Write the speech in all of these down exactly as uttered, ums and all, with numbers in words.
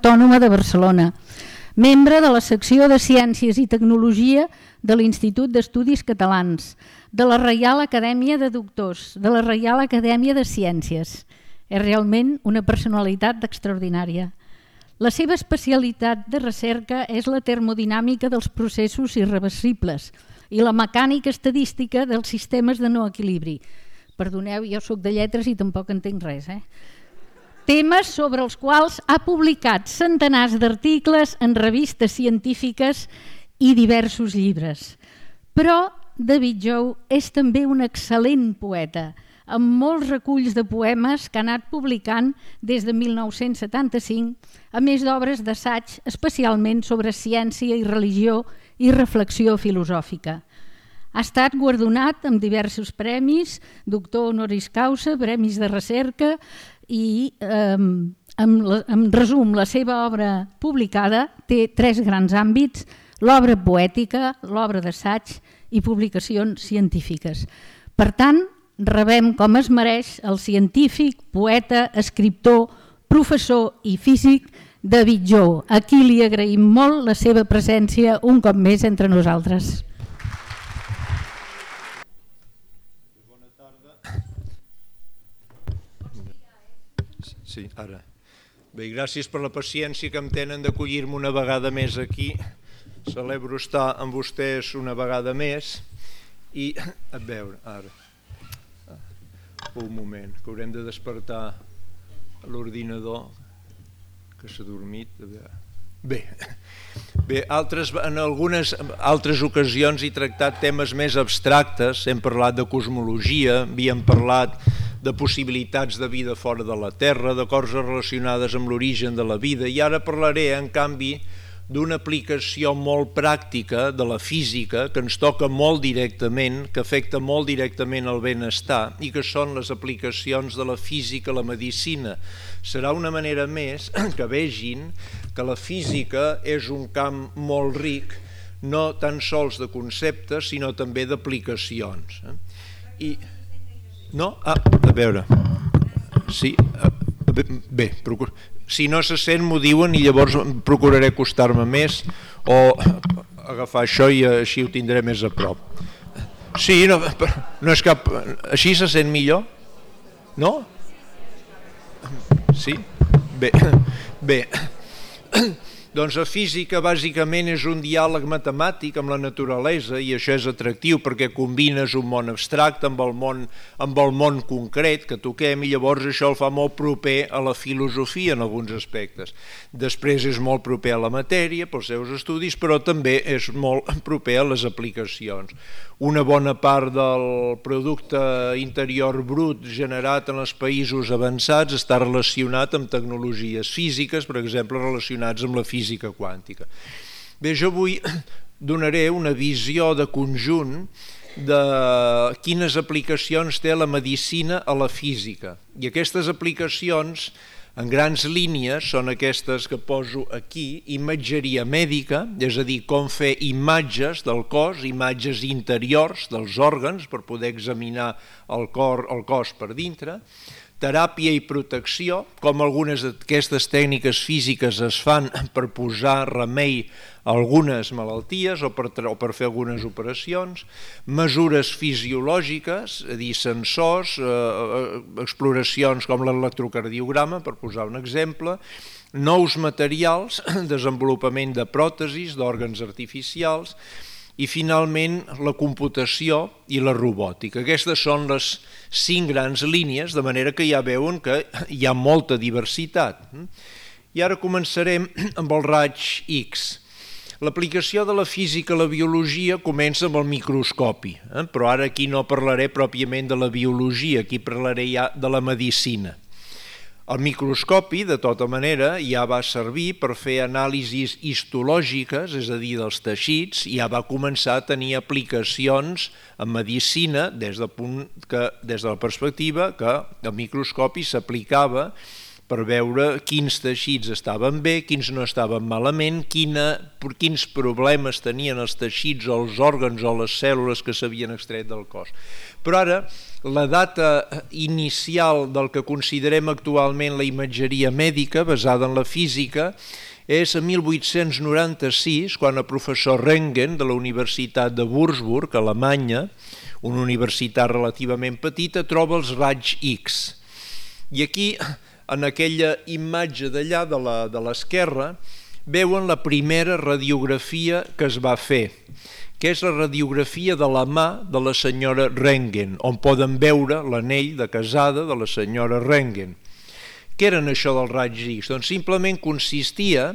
Autònoma de Barcelona, membre de la secció de Ciències i Tecnologia de l'Institut d'Estudis Catalans, de la Reial Acadèmia de Doctors, de la Reial Acadèmia de Ciències. És realment una personalitat extraordinària. La seva especialitat de recerca és la termodinàmica dels processos irreversibles i la mecànica estadística dels sistemes de no equilibri. Perdoneu, jo soc de lletres i tampoc entenc res, eh? Temes sobre els quals ha publicat centenars d'articles en revistes científiques i diversos llibres. Però David Jou és també un excel·lent poeta, amb molts reculls de poemes que ha anat publicant des de mil nou-cents setanta-cinc, a més d'obres d'assaig especialment sobre ciència i religió i reflexió filosòfica. Ha estat guardonat amb diversos premis, doctor honoris causa, premis de recerca i, eh, en resum, la seva obra publicada té tres grans àmbits: l'obra poètica, l'obra d'assaig i publicacions científiques. Per tant, rebem com es mereix el científic, poeta, escriptor, professor i físic David Jou, a qui li agraïm molt la seva presència un cop més entre nosaltres. Bona tarda. Sí, ara. Bé, gràcies per la paciència que em tenen d'acollir-me una vegada més aquí. Celebro estar amb vostès una vegada més i, a veure, ara, un moment, que haurem de despertar l'ordinador que s'ha dormit. Bé, bé altres, en algunes altres ocasions he tractat temes més abstractes, hem parlat de cosmologia, havíem parlat de possibilitats de vida fora de la Terra, de coses relacionades amb l'origen de la vida, i ara parlaré, en canvi, d'una aplicació molt pràctica de la física que ens toca molt directament, que afecta molt directament el benestar, i que són les aplicacions de la física a la medicina. Serà una manera més que vegin que la física és un camp molt ric, no tan sols de conceptes, sinó també d'aplicacions. I... No? Ah, a veure... Sí, bé, procuro... Si no se sent m'ho diuen i llavors procuraré acostar-me més o agafar això i així ho tindré més a prop. Sí, no, no és cap... Així se sent millor? No? Sí? Bé, bé. Doncs la física bàsicament és un diàleg matemàtic amb la naturalesa i això és atractiu perquè combines un món abstracte amb el món, amb el món concret que toquem i llavors això el fa molt proper a la filosofia en alguns aspectes. Després és molt proper a la matèria pels seus estudis, però també és molt proper a les aplicacions. Una bona part del producte interior brut generat en els països avançats està relacionat amb tecnologies físiques, per exemple, relacionats amb la física quàntica. Bé, jo avui donaré una visió de conjunt de quines aplicacions té la medicina a la física. I aquestes aplicacions, en grans línies, són aquestes que poso aquí: imatgeria mèdica, és a dir, com fer imatges del cos, imatges interiors dels òrgans per poder examinar el cor, el cos per dintre, teràpia i protecció, com algunes d'aquestes tècniques físiques es fan per posar remei a algunes malalties o per, o per fer algunes operacions, mesures fisiològiques, és a dir, sensors, eh, exploracions com l'electrocardiograma, per posar un exemple, nous materials, desenvolupament de pròtesis, d'òrgans artificials, i finalment la computació i la robòtica. Aquestes són les cinc grans línies, de manera que ja veuen que hi ha molta diversitat. I ara començarem amb el raig X. L'aplicació de la física a la biologia comença amb el microscopi, eh? Però ara aquí no parlaré pròpiament de la biologia, aquí parlaré ja de la medicina. El microscopi, de tota manera, ja va servir per fer anàlisis histològiques, és a dir, dels teixits, i ja va començar a tenir aplicacions en medicina des, del punt que, des de la perspectiva que el microscopi s'aplicava per veure quins teixits estaven bé, quins no estaven malament, quina, quins problemes tenien els teixits o els òrgans o les cèl·lules que s'havien extret del cos. Però ara, la data inicial del que considerem actualment la imatgeria mèdica, basada en la física, és a mil vuit-cents noranta-sis, quan el professor Röntgen de la Universitat de Würzburg, a Alemanya, una universitat relativament petita, troba els raigs X. I aquí, en aquella imatge d'allà de l'esquerra, veuen la primera radiografia que es va fer, que és la radiografia de la mà de la senyora Röntgen, on poden veure l'anell de casada de la senyora Röntgen. Què eren això dels raigs X? Doncs simplement consistia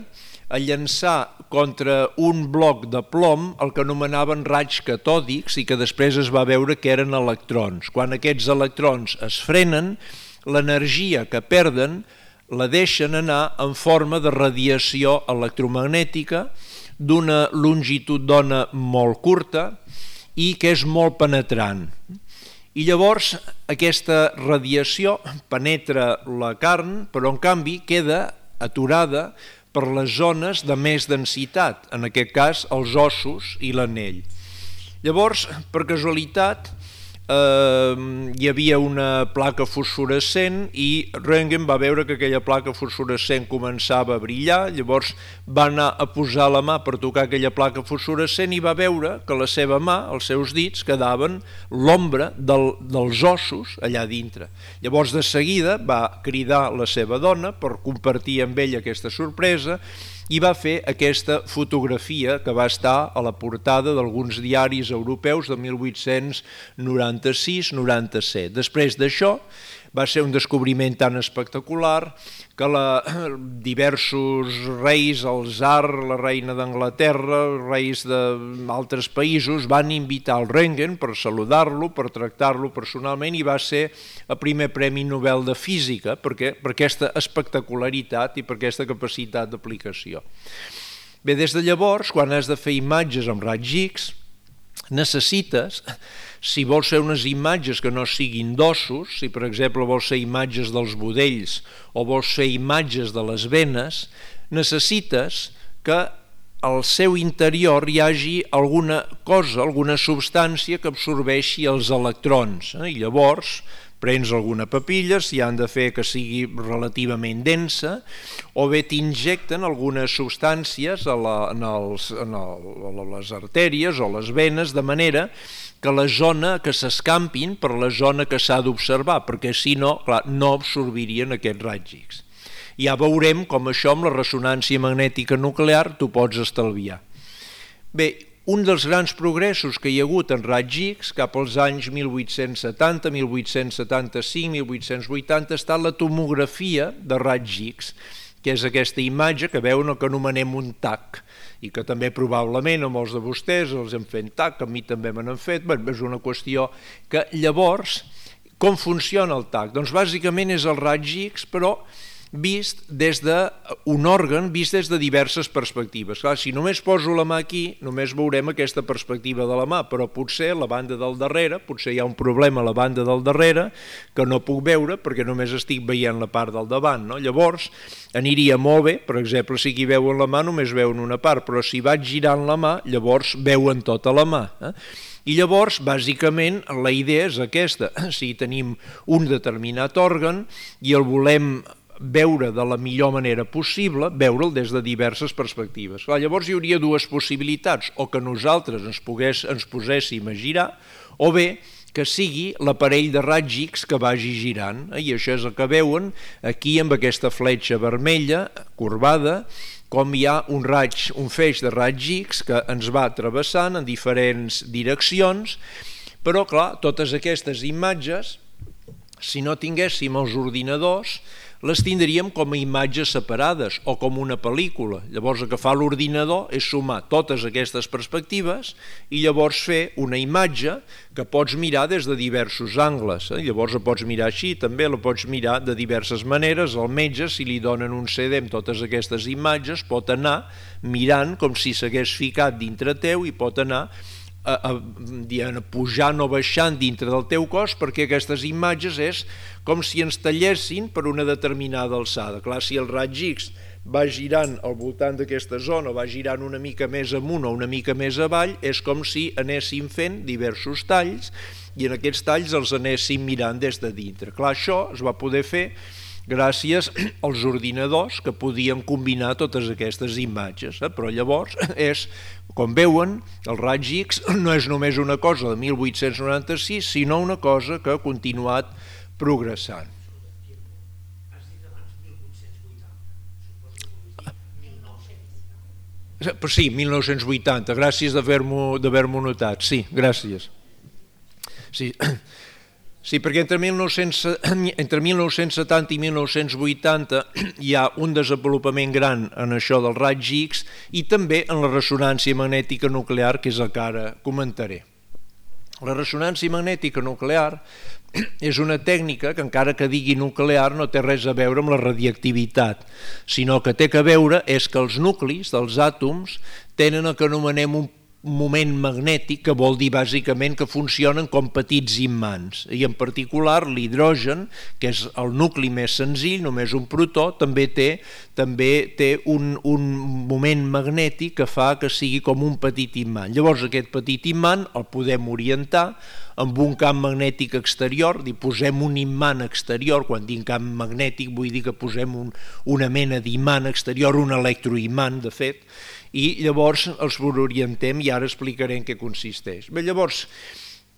a llançar contra un bloc de plom el que anomenaven raigs catòdics i que després es va veure que eren electrons. Quan aquests electrons es frenen, l'energia que perden la deixen anar en forma de radiació electromagnètica d'una longitud d'ona molt curta i que és molt penetrant. I llavors aquesta radiació penetra la carn, però en canvi queda aturada per les zones de més densitat, en aquest cas els ossos i l'anell. Llavors, per casualitat, eh, hi havia una placa fosforescent i Röntgen va veure que aquella placa fosforescent començava a brillar, llavors va anar a posar la mà per tocar aquella placa fosforescent i va veure que la seva mà, els seus dits, quedaven l'ombra del, dels ossos allà dintre. Llavors de seguida va cridar la seva dona per compartir amb ella aquesta sorpresa i va fer aquesta fotografia que va estar a la portada d'alguns diaris europeus de mil vuit-cents noranta-sis noranta-set. Després d'això va ser un descobriment tan espectacular que la, diversos reis, el tsar, la reina d'Anglaterra, reis d'altres països van invitar el Röntgen per saludar-lo, per tractar-lo personalment i va ser el primer Premi Nobel de Física perquè, per aquesta espectacularitat i per aquesta capacitat d'aplicació. Bé, des de llavors, quan has de fer imatges amb raigs X, necessites, si vols fer unes imatges que no siguin d'ossos, si per exemple vols fer imatges dels budells o vols fer imatges de les venes, necessites que al seu interior hi hagi alguna cosa, alguna substància que absorbeixi els electrons. Eh? I llavors prens alguna papilla, si han de fer que sigui relativament densa, o bé t'injecten algunes substàncies a, la, en els, en el, a les artèries o les venes, de manera que la zona que s'escampin per la zona que s'ha d'observar, perquè si no, clar, no absorbirien aquests raigs X. Ja veurem com això amb la ressonància magnètica nuclear t'ho pots estalviar. Bé, un dels grans progressos que hi ha hagut en raigs X cap als anys mil vuit-cents setanta, mil vuit-cents setanta-cinc, mil vuit-cents vuitanta ha estat la tomografia de raigs X, que és aquesta imatge que veuen el que anomenem un T A C, i que també probablement a molts de vostès els hem fet T A C, a mi també me n'han fet, bé, és una qüestió que llavors, com funciona el T A C? Doncs bàsicament és el raigs X, però vist des d'un òrgan, vist des de diverses perspectives. Clar, si només poso la mà aquí, només veurem aquesta perspectiva de la mà, però potser a la banda del darrere, potser hi ha un problema a la banda del darrere que no puc veure perquè només estic veient la part del davant. No? Llavors, aniria molt bé, per exemple, si aquí veuen la mà només veuen una part, però si vaig girant la mà, llavors veuen tota la mà. Eh? I llavors, bàsicament, la idea és aquesta. Si tenim un determinat òrgan i el volem veure de la millor manera possible, veure'l des de diverses perspectives. Clar, llavors hi hauria dues possibilitats, o que nosaltres ens, pogués, ens poséssim a girar, o bé que sigui l'aparell de raigs X que vagi girant. I això és el que veuen aquí amb aquesta fletxa vermella, corbada, com hi ha un raig, un feix de raigs X que ens va travessant en diferents direccions, però clar, totes aquestes imatges, si no tinguéssim els ordinadors, les tindríem com a imatges separades o com una pel·lícula. Llavors el que fa l'ordinador és sumar totes aquestes perspectives i llavors fer una imatge que pots mirar des de diversos angles. Llavors la pots mirar així, també la pots mirar de diverses maneres. El metge, si li donen un C D amb totes aquestes imatges, pot anar mirant com si s'hagués ficat dintre teu i pot anar a, a, diguem, pujant o baixant dintre del teu cos, perquè aquestes imatges és com si ens tallessin per una determinada alçada. Clar, si el raig X va girant al voltant d'aquesta zona, va girant una mica més amunt o una mica més avall, és com si anéssim fent diversos talls i en aquests talls els anéssim mirant des de dintre. Clar, això es va poder fer gràcies als ordinadors que podien combinar totes aquestes imatges, eh? Però llavors és, com veuen, el raig X no és només una cosa de mil vuit-cents noranta-sis, sinó una cosa que ha continuat progressant. Però sí, mil nou-cents vuitanta, gràcies d'haver-m'ho d'haver-m'ho notat, sí, gràcies. Sí, sí, perquè entre mil nou-cents entre mil nou-cents setanta i mil nou-cents vuitanta hi ha un desenvolupament gran en això del raig X i també en la ressonància magnètica nuclear, que és el que ara comentaré. La ressonància magnètica nuclear és una tècnica que, encara que digui nuclear, no té res a veure amb la radiactivitat, sinó que té a veure és que els nuclis dels àtoms tenen el que anomenem un moment magnètic, que vol dir bàsicament que funcionen com petits imants, i en particular l'hidrogen, que és el nucli més senzill, només un protó, també té, també té un, un moment magnètic que fa que sigui com un petit imant. Llavors aquest petit imant el podem orientar amb un camp magnètic exterior, dir, posem un imant exterior, quan dic camp magnètic vull dir que posem un, una mena d'imant exterior, un electroimant de fet, i llavors els orientem i ara explicaré en què consisteix. Bé, llavors,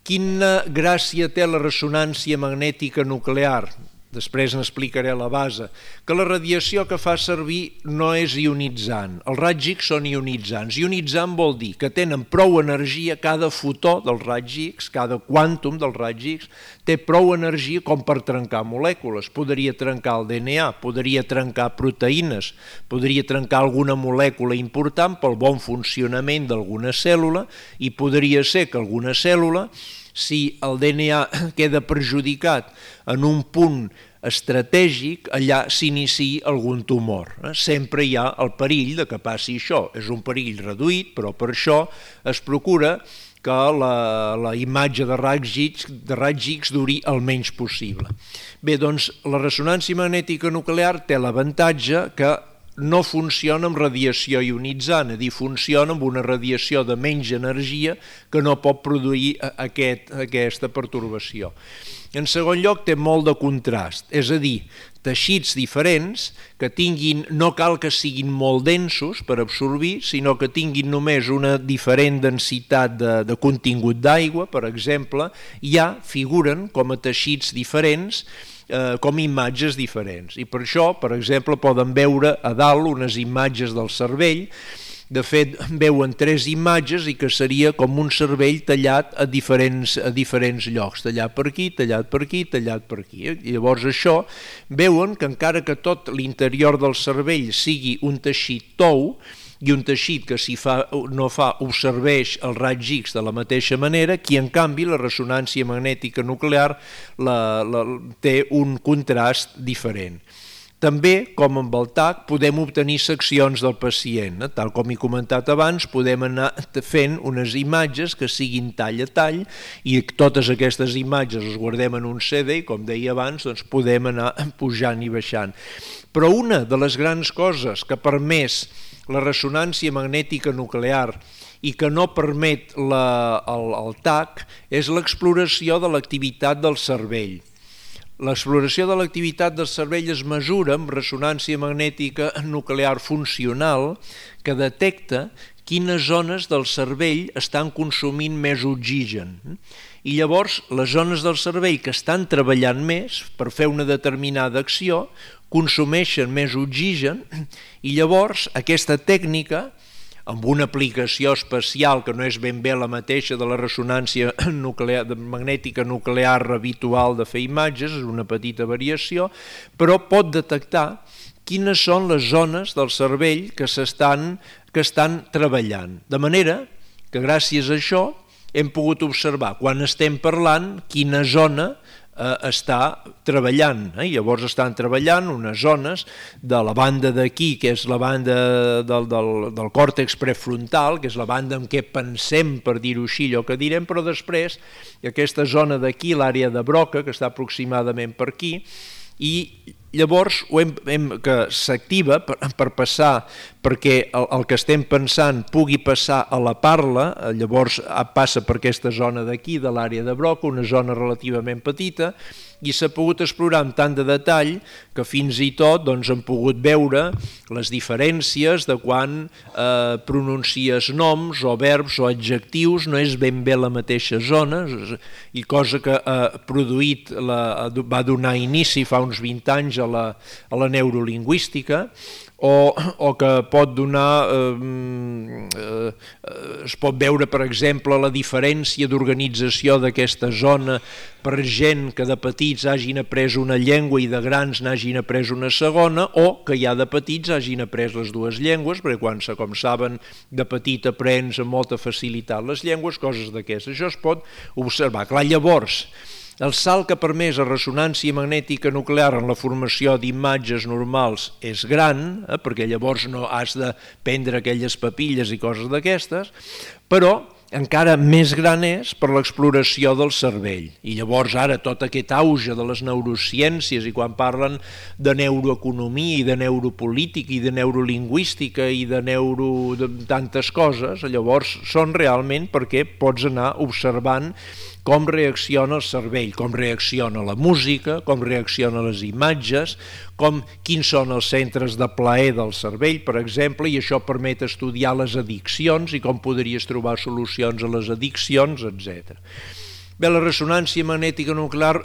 quina gràcia té la ressonància magnètica nuclear? Després n'explicaré la base, que la radiació que fa servir no és ionitzant, els raigs X són ionitzants. Ionitzant vol dir que tenen prou energia, cada fotó del raig X, cada quàntum del raig X, té prou energia com per trencar molècules. Podria trencar el D N A, podria trencar proteïnes, podria trencar alguna molècula important pel bon funcionament d'alguna cèl·lula i podria ser que alguna cèl·lula, si el D N A queda perjudicat en un punt estratègic, allà s'iniciï algun tumor. Sempre hi ha el perill de que passi això. És un perill reduït, però per això es procura que la, la imatge de raigs X, de raigs X duri el menys possible. Bé, doncs la ressonància magnètica nuclear té l'avantatge que no funciona amb radiació ionitzant, és a dir, funciona amb una radiació de menys energia que no pot produir aquest, aquesta pertorbació. En segon lloc, té molt de contrast, és a dir, teixits diferents que tinguin, no cal que siguin molt densos per absorbir, sinó que tinguin només una diferent densitat de, de contingut d'aigua, per exemple, ja figuren com a teixits diferents, Eh, com imatges diferents. I per això, per exemple, poden veure a dalt unes imatges del cervell. De fet, veuen tres imatges i que seria com un cervell tallat a diferents, a diferents llocs, tallat per aquí, tallat per aquí, tallat per aquí. I llavors això, veuen que encara que tot l'interior del cervell sigui un teixit tou, i un teixit que si fa, no fa absorbeix el raig X de la mateixa manera, qui en canvi la ressonància magnètica nuclear la, la, té un contrast diferent. També, com amb el T A C, podem obtenir seccions del pacient. Tal com he comentat abans, podem anar fent unes imatges que siguin tall a tall i totes aquestes imatges les guardem en un C D i, com deia abans, doncs podem anar pujant i baixant. Però una de les grans coses que ha permès la ressonància magnètica nuclear i que no permet la, el, el T A C és l'exploració de l'activitat del cervell. L'exploració de l'activitat del cervell es mesura amb ressonància magnètica nuclear funcional que detecta quines zones del cervell estan consumint més oxigen. I llavors les zones del cervell que estan treballant més per fer una determinada acció consumeixen més oxigen i llavors aquesta tècnica, amb una aplicació especial que no és ben bé la mateixa de la ressonància nuclear, magnètica nuclear habitual de fer imatges, és una petita variació, però pot detectar quines són les zones del cervell que s'estan que estan treballant. De manera que gràcies a això hem pogut observar quan estem parlant quina zona eh, està treballant. Eh? Llavors estan treballant unes zones de la banda d'aquí, que és la banda del, del, del còrtex prefrontal, que és la banda en què pensem, per dir-ho així, allò que direm, però després aquesta zona d'aquí, l'àrea de Broca, que està aproximadament per aquí, i llavors ho hem, hem, que s'activa per, per passar, perquè el, el que estem pensant pugui passar a la parla, llavors passa per aquesta zona d'aquí, de l'àrea de Broca, una zona relativament petita, i s'ha pogut explorar amb tant de detall que fins i tot doncs, hem pogut veure les diferències de quan eh, pronuncies noms o verbs o adjectius, no és ben bé la mateixa zona, i cosa que ha produït, la, va donar inici fa uns vint anys a la, a la neurolingüística, o, o que pot donar, eh, eh, es pot veure, per exemple, la diferència d'organització d'aquesta zona per gent que de petits hagin après una llengua i de grans n'hagin après una segona, o que ja de petits hagin après les dues llengües, perquè quan, com saben, de petit aprens amb molta facilitat les llengües, coses d'aquestes. Això es pot observar. Clar, llavors, el salt que ha permès a ressonància magnètica nuclear en la formació d'imatges normals és gran, eh, perquè llavors no has de prendre aquelles papilles i coses d'aquestes, però encara més gran és per l'exploració del cervell. I llavors ara tot aquest auge de les neurociències, i quan parlen de neuroeconomia i de neuropolítica i de neurolingüística i de neuro de tantes coses, llavors són realment perquè pots anar observant com reacciona el cervell, com reacciona la música, com reacciona les imatges, com, quins són els centres de plaer del cervell, per exemple, i això permet estudiar les addiccions i com podries trobar solucions a les addiccions, etcètera. Bé, la ressonància magnètica nuclear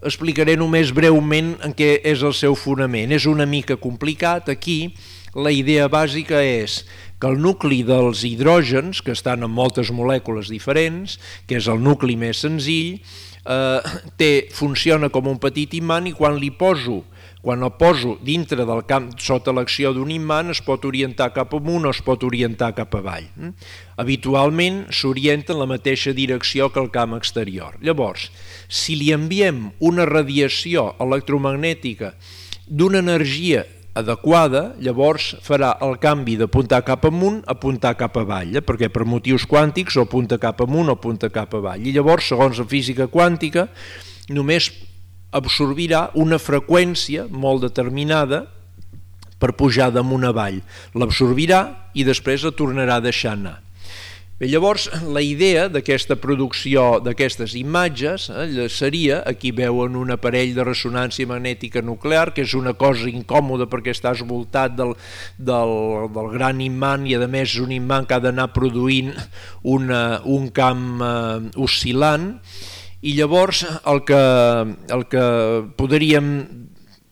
explicaré només breument en què és el seu fonament. És una mica complicat. Aquí la idea bàsica és que el nucli dels hidrògens, que estan en moltes molècules diferents, que és el nucli més senzill, eh, té, funciona com un petit imant, i quan li poso, quan el poso dintre del camp, sota l'acció d'un imant, es pot orientar cap amunt o es pot orientar cap avall. Habitualment s'orienta en la mateixa direcció que el camp exterior. Llavors, si li enviem una radiació electromagnètica d'una energia adequada, llavors farà el canvi d'apuntar cap amunt a apuntar cap avall, eh? perquè per motius quàntics o apunta cap amunt o apunta cap avall. I llavors, segons la física quàntica, només absorbirà una freqüència molt determinada per pujar damunt avall. L'absorbirà i després la tornarà a deixar anar. Bé, llavors, la idea d'aquesta producció d'aquestes imatges eh, seria, aquí veuen un aparell de ressonància magnètica nuclear, que és una cosa incòmoda perquè estàs voltat del, del, del gran imant, i a més és un imant que ha d'anar produint una, un camp eh, oscil·lant, i llavors el que, el que podríem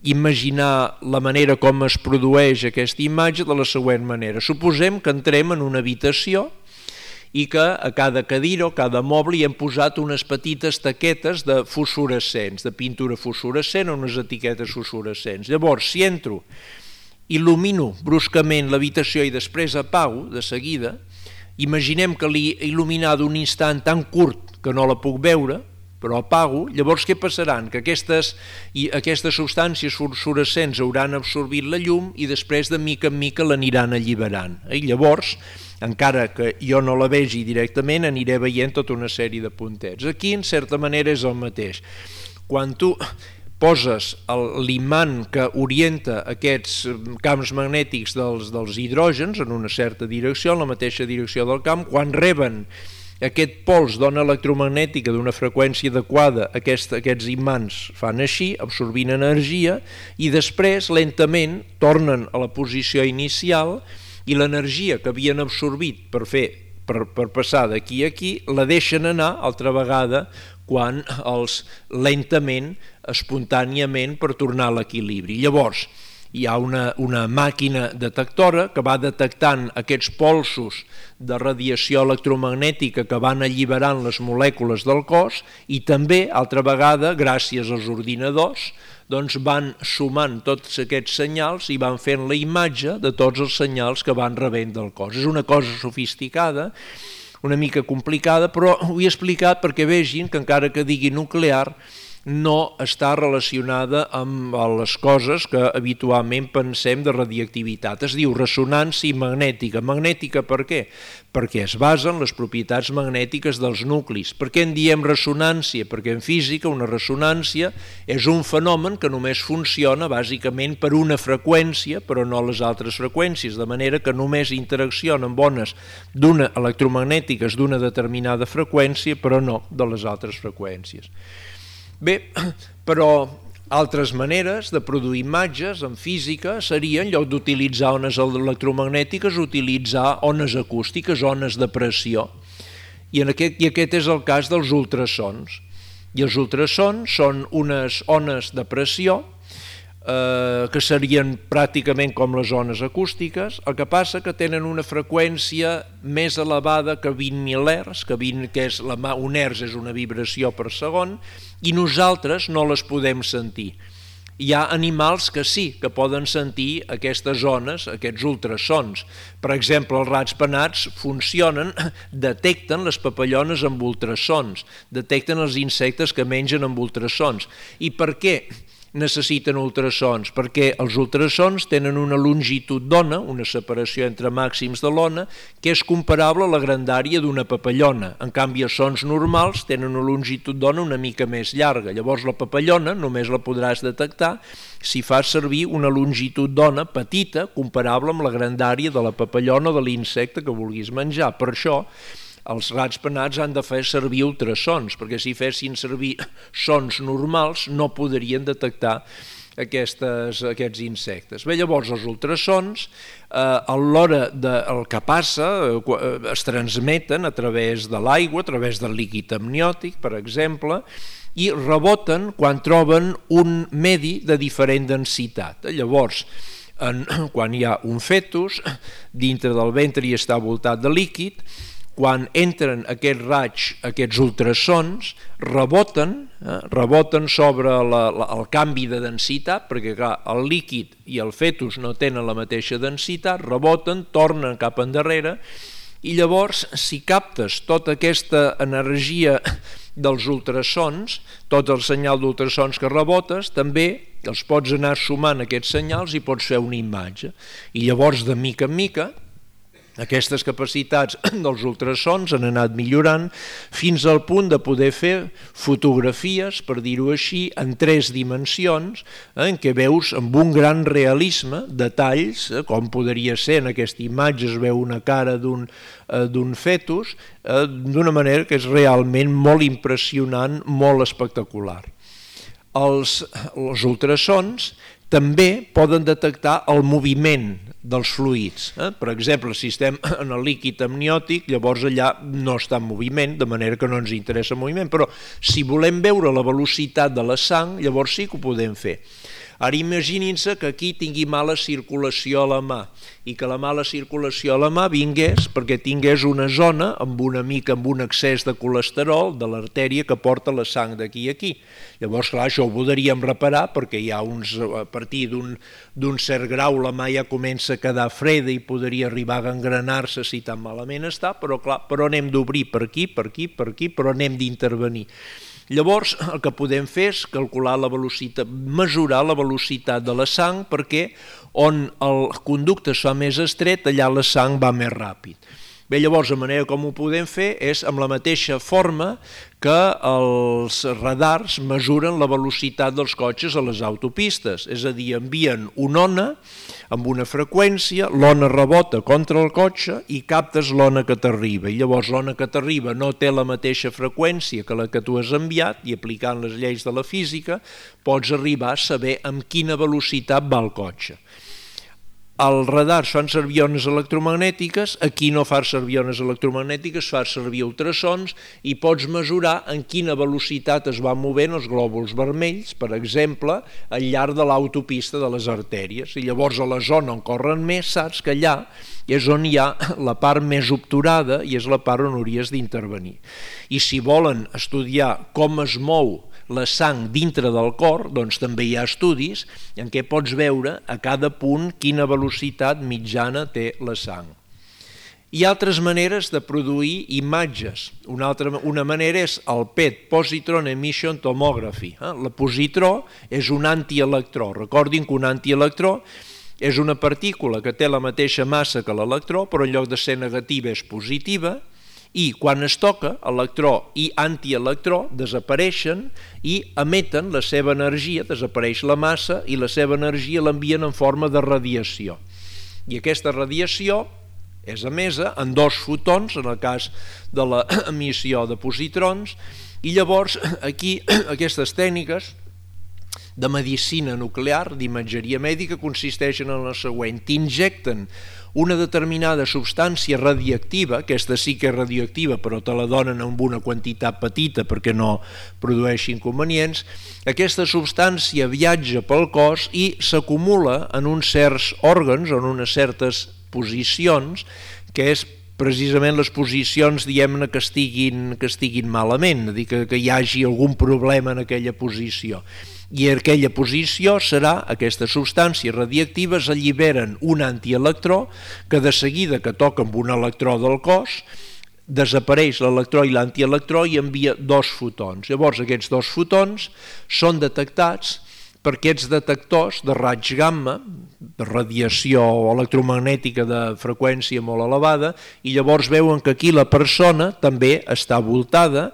imaginar la manera com es produeix aquesta imatge de la següent manera. Suposem que entrem en una habitació i que a cada cadira o cada moble hi hem posat unes petites taquetes de fosforescents, de pintura fosforescent o unes etiquetes fosforescents. Llavors, si entro, il·lumino bruscament l'habitació i després apago de seguida, imaginem que l'he il·luminat un instant tan curt que no la puc veure, però apago, llavors què passaran? Que aquestes, i aquestes substàncies fosforescents hauran absorbit la llum i després de mica en mica l'aniran alliberant. I llavors, encara que jo no la vegi directament, aniré veient tota una sèrie de puntets. Aquí, en certa manera, és el mateix. Quan tu poses l'imant que orienta aquests camps magnètics dels, dels hidrògens en una certa direcció, en la mateixa direcció del camp, quan reben aquest pols d'ona electromagnètica d'una freqüència adequada, aquest, aquests imants fan així, absorbint energia, i després, lentament, tornen a la posició inicial, i l'energia que havien absorbit per fer, per, per passar d'aquí a aquí, la deixen anar altra vegada quan els lentament, espontàniament, per tornar a l'equilibri. Llavors, hi ha una, una màquina detectora que va detectant aquests polsos de radiació electromagnètica que van alliberant les molècules del cos, i també, altra vegada, gràcies als ordinadors, doncs van sumant tots aquests senyals i van fent la imatge de tots els senyals que van rebent del cos. És una cosa sofisticada, una mica complicada, però ho he explicat perquè vegin que encara que digui nuclear, no està relacionada amb les coses que habitualment pensem de radioactivitat. Es diu ressonància magnètica. Magnètica per què? Perquè es basa en les propietats magnètiques dels nuclis. Per què en diem ressonància? Perquè en física una ressonància és un fenomen que només funciona bàsicament per una freqüència, però no les altres freqüències, de manera que només interacciona amb ones d'una electromagnètiques d'una determinada freqüència, però no de les altres freqüències. Bé, però altres maneres de produir imatges en física serien, en lloc d'utilitzar ones electromagnètiques, utilitzar ones acústiques, ones de pressió. I, en aquest, i aquest és el cas dels ultrasons. I els ultrasons són unes ones de pressió eh, que serien pràcticament com les ones acústiques, el que passa que tenen una freqüència més elevada que vint mil hertz, que, vint, que és la, un hertz és una vibració per segon, i nosaltres no les podem sentir. Hi ha animals que sí, que poden sentir aquestes ones, aquests ultrasons. Per exemple, els rats penats funcionen, detecten les papallones amb ultrasons, detecten els insectes que mengen amb ultrasons. I per què necessiten ultrasons? Perquè els ultrasons tenen una longitud d'ona, una separació entre màxims de l'ona, que és comparable a la grandària d'una papallona. En canvi, els sons normals tenen una longitud d'ona una mica més llarga. Llavors, la papallona només la podràs detectar si fas servir una longitud d'ona petita, comparable amb la grandària de la papallona o de l'insecte que vulguis menjar. Per això, els rats penats han de fer servir ultrasons, perquè si fessin servir sons normals no podrien detectar aquestes, aquests insectes. Bé, llavors els ultrasons, eh, a l'hora del que passa, eh, es transmeten a través de l'aigua, a través del líquid amniòtic, per exemple, i reboten quan troben un medi de diferent densitat. Llavors, en, quan hi ha un fetus, dintre del ventre i està voltat de líquid, quan entren aquests raigs, aquests ultrasons, reboten, eh, reboten sobre la, la, el canvi de densitat, perquè clar, el líquid i el fetus no tenen la mateixa densitat, reboten, tornen cap endarrere, i llavors, si captes tota aquesta energia dels ultrasons, tot el senyal d'ultrasons que rebotes, també els pots anar sumant aquests senyals i pots fer una imatge. I llavors, de mica en mica, aquestes capacitats dels ultrasons han anat millorant fins al punt de poder fer fotografies, per dir-ho així, en tres dimensions, eh, en què veus amb un gran realisme detalls, eh, com podria ser en aquesta imatge, es veu una cara d'un eh, d'un fetus, eh, d'una manera que és realment molt impressionant, molt espectacular. Els, els ultrasons també poden detectar el moviment dels fluids. Eh? Per exemple, si estem en el líquid amniòtic, llavors allà no està en moviment, de manera que no ens interessa el moviment, però si volem veure la velocitat de la sang, llavors sí que ho podem fer. Ara imaginin-se que aquí tingui mala circulació a la mà i que la mala circulació a la mà vingués perquè tingués una zona amb una mica amb un excés de colesterol de l'artèria que porta la sang d'aquí a aquí. Llavors, clar, això ho podríem reparar perquè hi ha uns, a partir d'un cert grau la mà ja comença a quedar freda i podria arribar a gangrenar-se si tan malament està, però clar, però anem d'obrir per aquí, per aquí, per aquí, però anem d'intervenir. Llavors, el que podem fer és calcular la velocitat, mesurar la velocitat de la sang, perquè on el conducte es fa més estret, allà la sang va més ràpid. Bé, llavors, la manera com ho podem fer és amb la mateixa forma que els radars mesuren la velocitat dels cotxes a les autopistes, és a dir, envien una ona amb una freqüència, l'ona rebota contra el cotxe i captes l'ona que t'arriba. I llavors l'ona que t'arriba no té la mateixa freqüència que la que tu has enviat i aplicant les lleis de la física pots arribar a saber amb quina velocitat va el cotxe. Els radars fan servir ones electromagnètiques, aquí no fas servir ones electromagnètiques, fas servir ultrasons i pots mesurar en quina velocitat es van movent els glòbuls vermells, per exemple, al llarg de l'autopista de les artèries. I llavors a la zona on corren més saps que allà és on hi ha la part més obturada i és la part on hauries d'intervenir. I si volen estudiar com es mou la sang dintre del cor, doncs també hi ha estudis en què pots veure a cada punt quina velocitat mitjana té la sang. Hi ha altres maneres de produir imatges. Una, altra, una manera és el P E T, Positron Emission Tomography. El positró és un antielectró. Recordin que un antielectró és una partícula que té la mateixa massa que l'electró, però en lloc de ser negativa és positiva, i quan es toca, electró i antielectró desapareixen i emeten la seva energia, desapareix la massa i la seva energia l'envien en forma de radiació. I aquesta radiació és emesa en dos fotons, en el cas de l'emissió de positrons, i llavors aquí aquestes tècniques de medicina nuclear, d'imatgeria mèdica, consisteixen en la següent: t'injecten una determinada substància radioactiva, aquesta sí que és radioactiva però te la donen amb una quantitat petita perquè no produeixi inconvenients, aquesta substància viatja pel cos i s'acumula en uns certs òrgans o en unes certes posicions, que és precisament les posicions, diguem-ne, que estiguin, que estiguin malament, dir, que, que hi hagi algun problema en aquella posició. I en aquella posició serà, aquestes substàncies radioactives alliberen un antielectró que de seguida que toca amb un electró del cos desapareix l'electró i l'antielectró i envia dos fotons. Llavors aquests dos fotons són detectats per aquests detectors de raig gamma, de radiació electromagnètica de freqüència molt elevada, i llavors veuen que aquí la persona també està voltada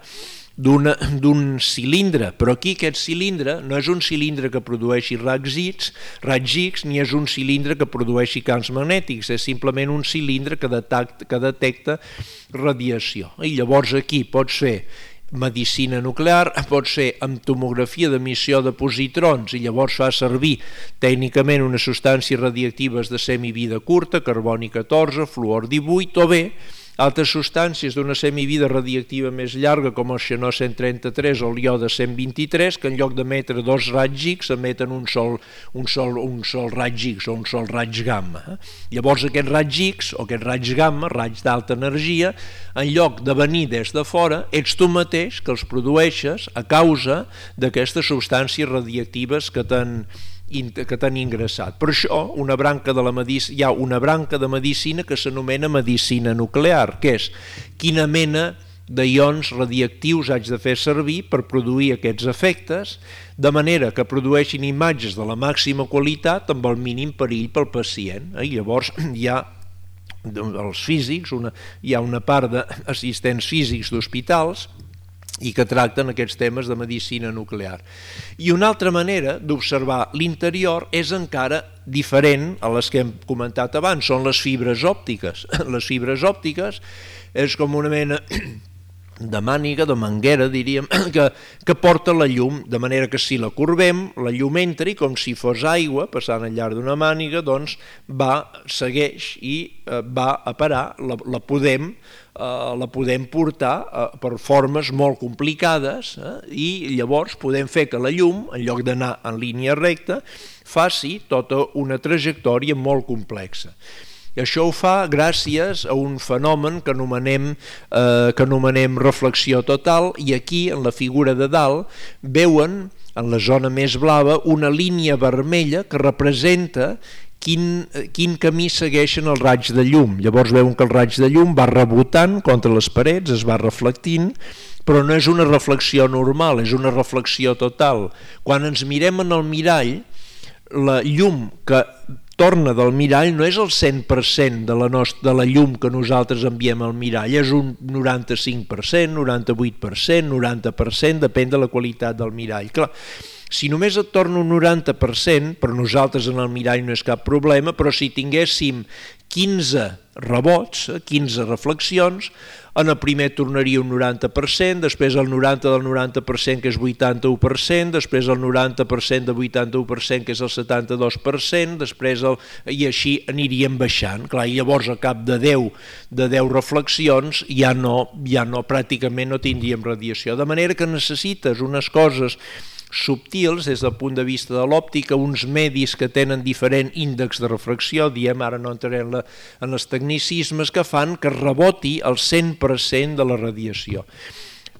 d'un cilindre, però aquí aquest cilindre no és un cilindre que produeixi raigs X, raigs X, ni és un cilindre que produeixi camps magnètics, és simplement un cilindre que detecta, que detecta radiació. I llavors aquí pots fer medicina nuclear, pot ser amb tomografia d'emissió de positrons i llavors fa servir tècnicament unes substàncies radioactives de semivida curta, carboni catorze, fluor divuit, o bé altres substàncies d'una semivida radioactiva més llarga com el xenó cent trenta-tres o el iode cent vint-i-tres, que en lloc d'emetre dos raigs X emeten un sol, un sol, un sol raig X o un sol raig gamma. Llavors aquest raig X o aquest raig gamma, raig d'alta energia, en lloc de venir des de fora, ets tu mateix que els produeixes a causa d'aquestes substàncies radioactives que t'han que t'han ingressat. Per això una branca de la medicina, hi ha una branca de medicina que s'anomena medicina nuclear, que és quina mena de ions radioactius haig de fer servir per produir aquests efectes, de manera que produeixin imatges de la màxima qualitat amb el mínim perill pel pacient. I llavors hi ha els físics, una, hi ha una part d'assistents físics d'hospitals i que tracten aquests temes de medicina nuclear. I una altra manera d'observar l'interior és encara diferent a les que hem comentat abans, són les fibres òptiques. Les fibres òptiques és com una mena de màniga, de manguera, diríem, que, que porta la llum, de manera que si la corbem, la llum entra i com si fos aigua, passant al llarg d'una màniga, doncs va, segueix i eh, va a parar, la, la podem Uh, la podem portar uh, per formes molt complicades eh, i llavors podem fer que la llum, en lloc d'anar en línia recta, faci tota una trajectòria molt complexa. I això ho fa gràcies a un fenomen que anomenem, eh, que anomenem reflexió total, i aquí, en la figura de dalt, veuen en la zona més blava una línia vermella que representa Quin, quin camí segueixen els raigs de llum. Llavors veuen que el raig de llum va rebotant contra les parets, es va reflectint, però no és una reflexió normal, és una reflexió total. Quan ens mirem en el mirall, la llum que torna del mirall no és el cent per cent de la, nostra, de la llum que nosaltres enviem al mirall, és un noranta-cinc per cent, noranta-vuit per cent, noranta per cent, depèn de la qualitat del mirall. Clar, si només et torna un noranta per cent, per nosaltres en el mirall no és cap problema, però si tinguéssim quinze rebots, quinze reflexions, en el primer tornaria un noranta per cent, després el noranta del noranta per cent, que és vuitanta-u per cent, després el noranta per cent de vuitanta-u per cent, que és el setanta-dos per cent, després el... i així aniríem baixant. Clar, i llavors al cap de deu, de deu reflexions ja no, ja no, pràcticament no tindríem radiació. De manera que necessites unes coses subtils des del punt de vista de l'òptica, uns medis que tenen diferent índex de refracció, diem, ara no entraré en, la, en els tecnicismes, que fan que reboti el cent per cent de la radiació.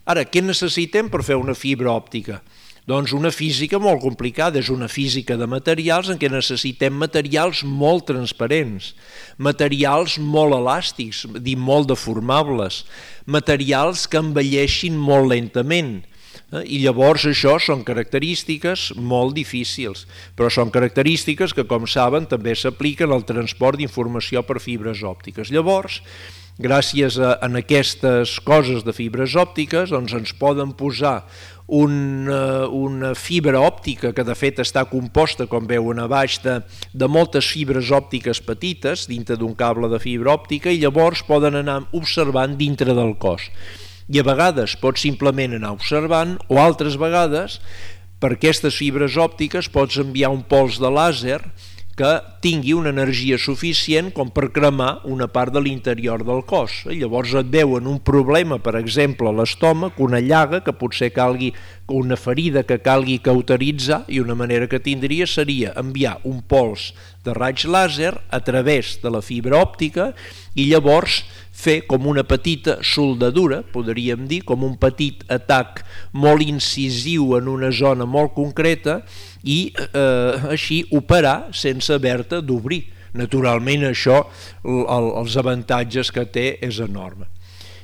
Ara, què necessitem per fer una fibra òptica? Doncs una física molt complicada, és una física de materials en què necessitem materials molt transparents, materials molt elàstics, dir molt deformables, materials que envelleixin molt lentament. I llavors això són característiques molt difícils, però són característiques que, com saben, també s'apliquen al transport d'informació per fibres òptiques. Llavors, gràcies a, a aquestes coses de fibres òptiques, doncs ens poden posar una, una fibra òptica que de fet està composta, com veuen a baix, de, de moltes fibres òptiques petites dintre d'un cable de fibra òptica i llavors poden anar observant dintre del cos. I a vegades pot simplement anar observant o altres vegades per aquestes fibres òptiques pots enviar un pols de làser que tingui una energia suficient com per cremar una part de l'interior del cos. I llavors et veuen un problema, per exemple, a l'estómac, una llaga que potser calgui, una ferida que calgui cauteritzar, i una manera que tindria seria enviar un pols de raig làser a través de la fibra òptica i llavors fer com una petita soldadura, podríem dir, com un petit atac molt incisiu en una zona molt concreta i eh, així operar sense haver-te d'obrir. Naturalment això, el, els avantatges que té és enorme.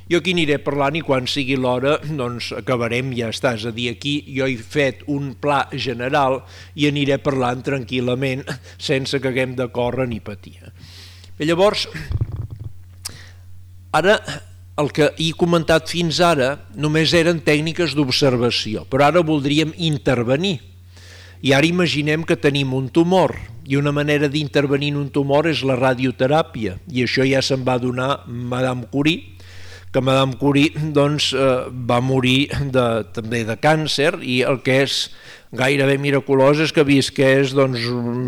Jo aquí aniré parlant i quan sigui l'hora doncs acabarem, ja està, és a dir, aquí jo he fet un pla general i aniré parlant tranquil·lament sense que haguem de córrer ni patir. I llavors, ara el que he comentat fins ara només eren tècniques d'observació, però ara voldríem intervenir. I ara imaginem que tenim un tumor i una manera d'intervenir en un tumor és la radioteràpia i això ja se'n va donar Madame Curie, que Madame Curie doncs, eh, va morir de, també de càncer i el que és gairebé miraculós és que visqués doncs,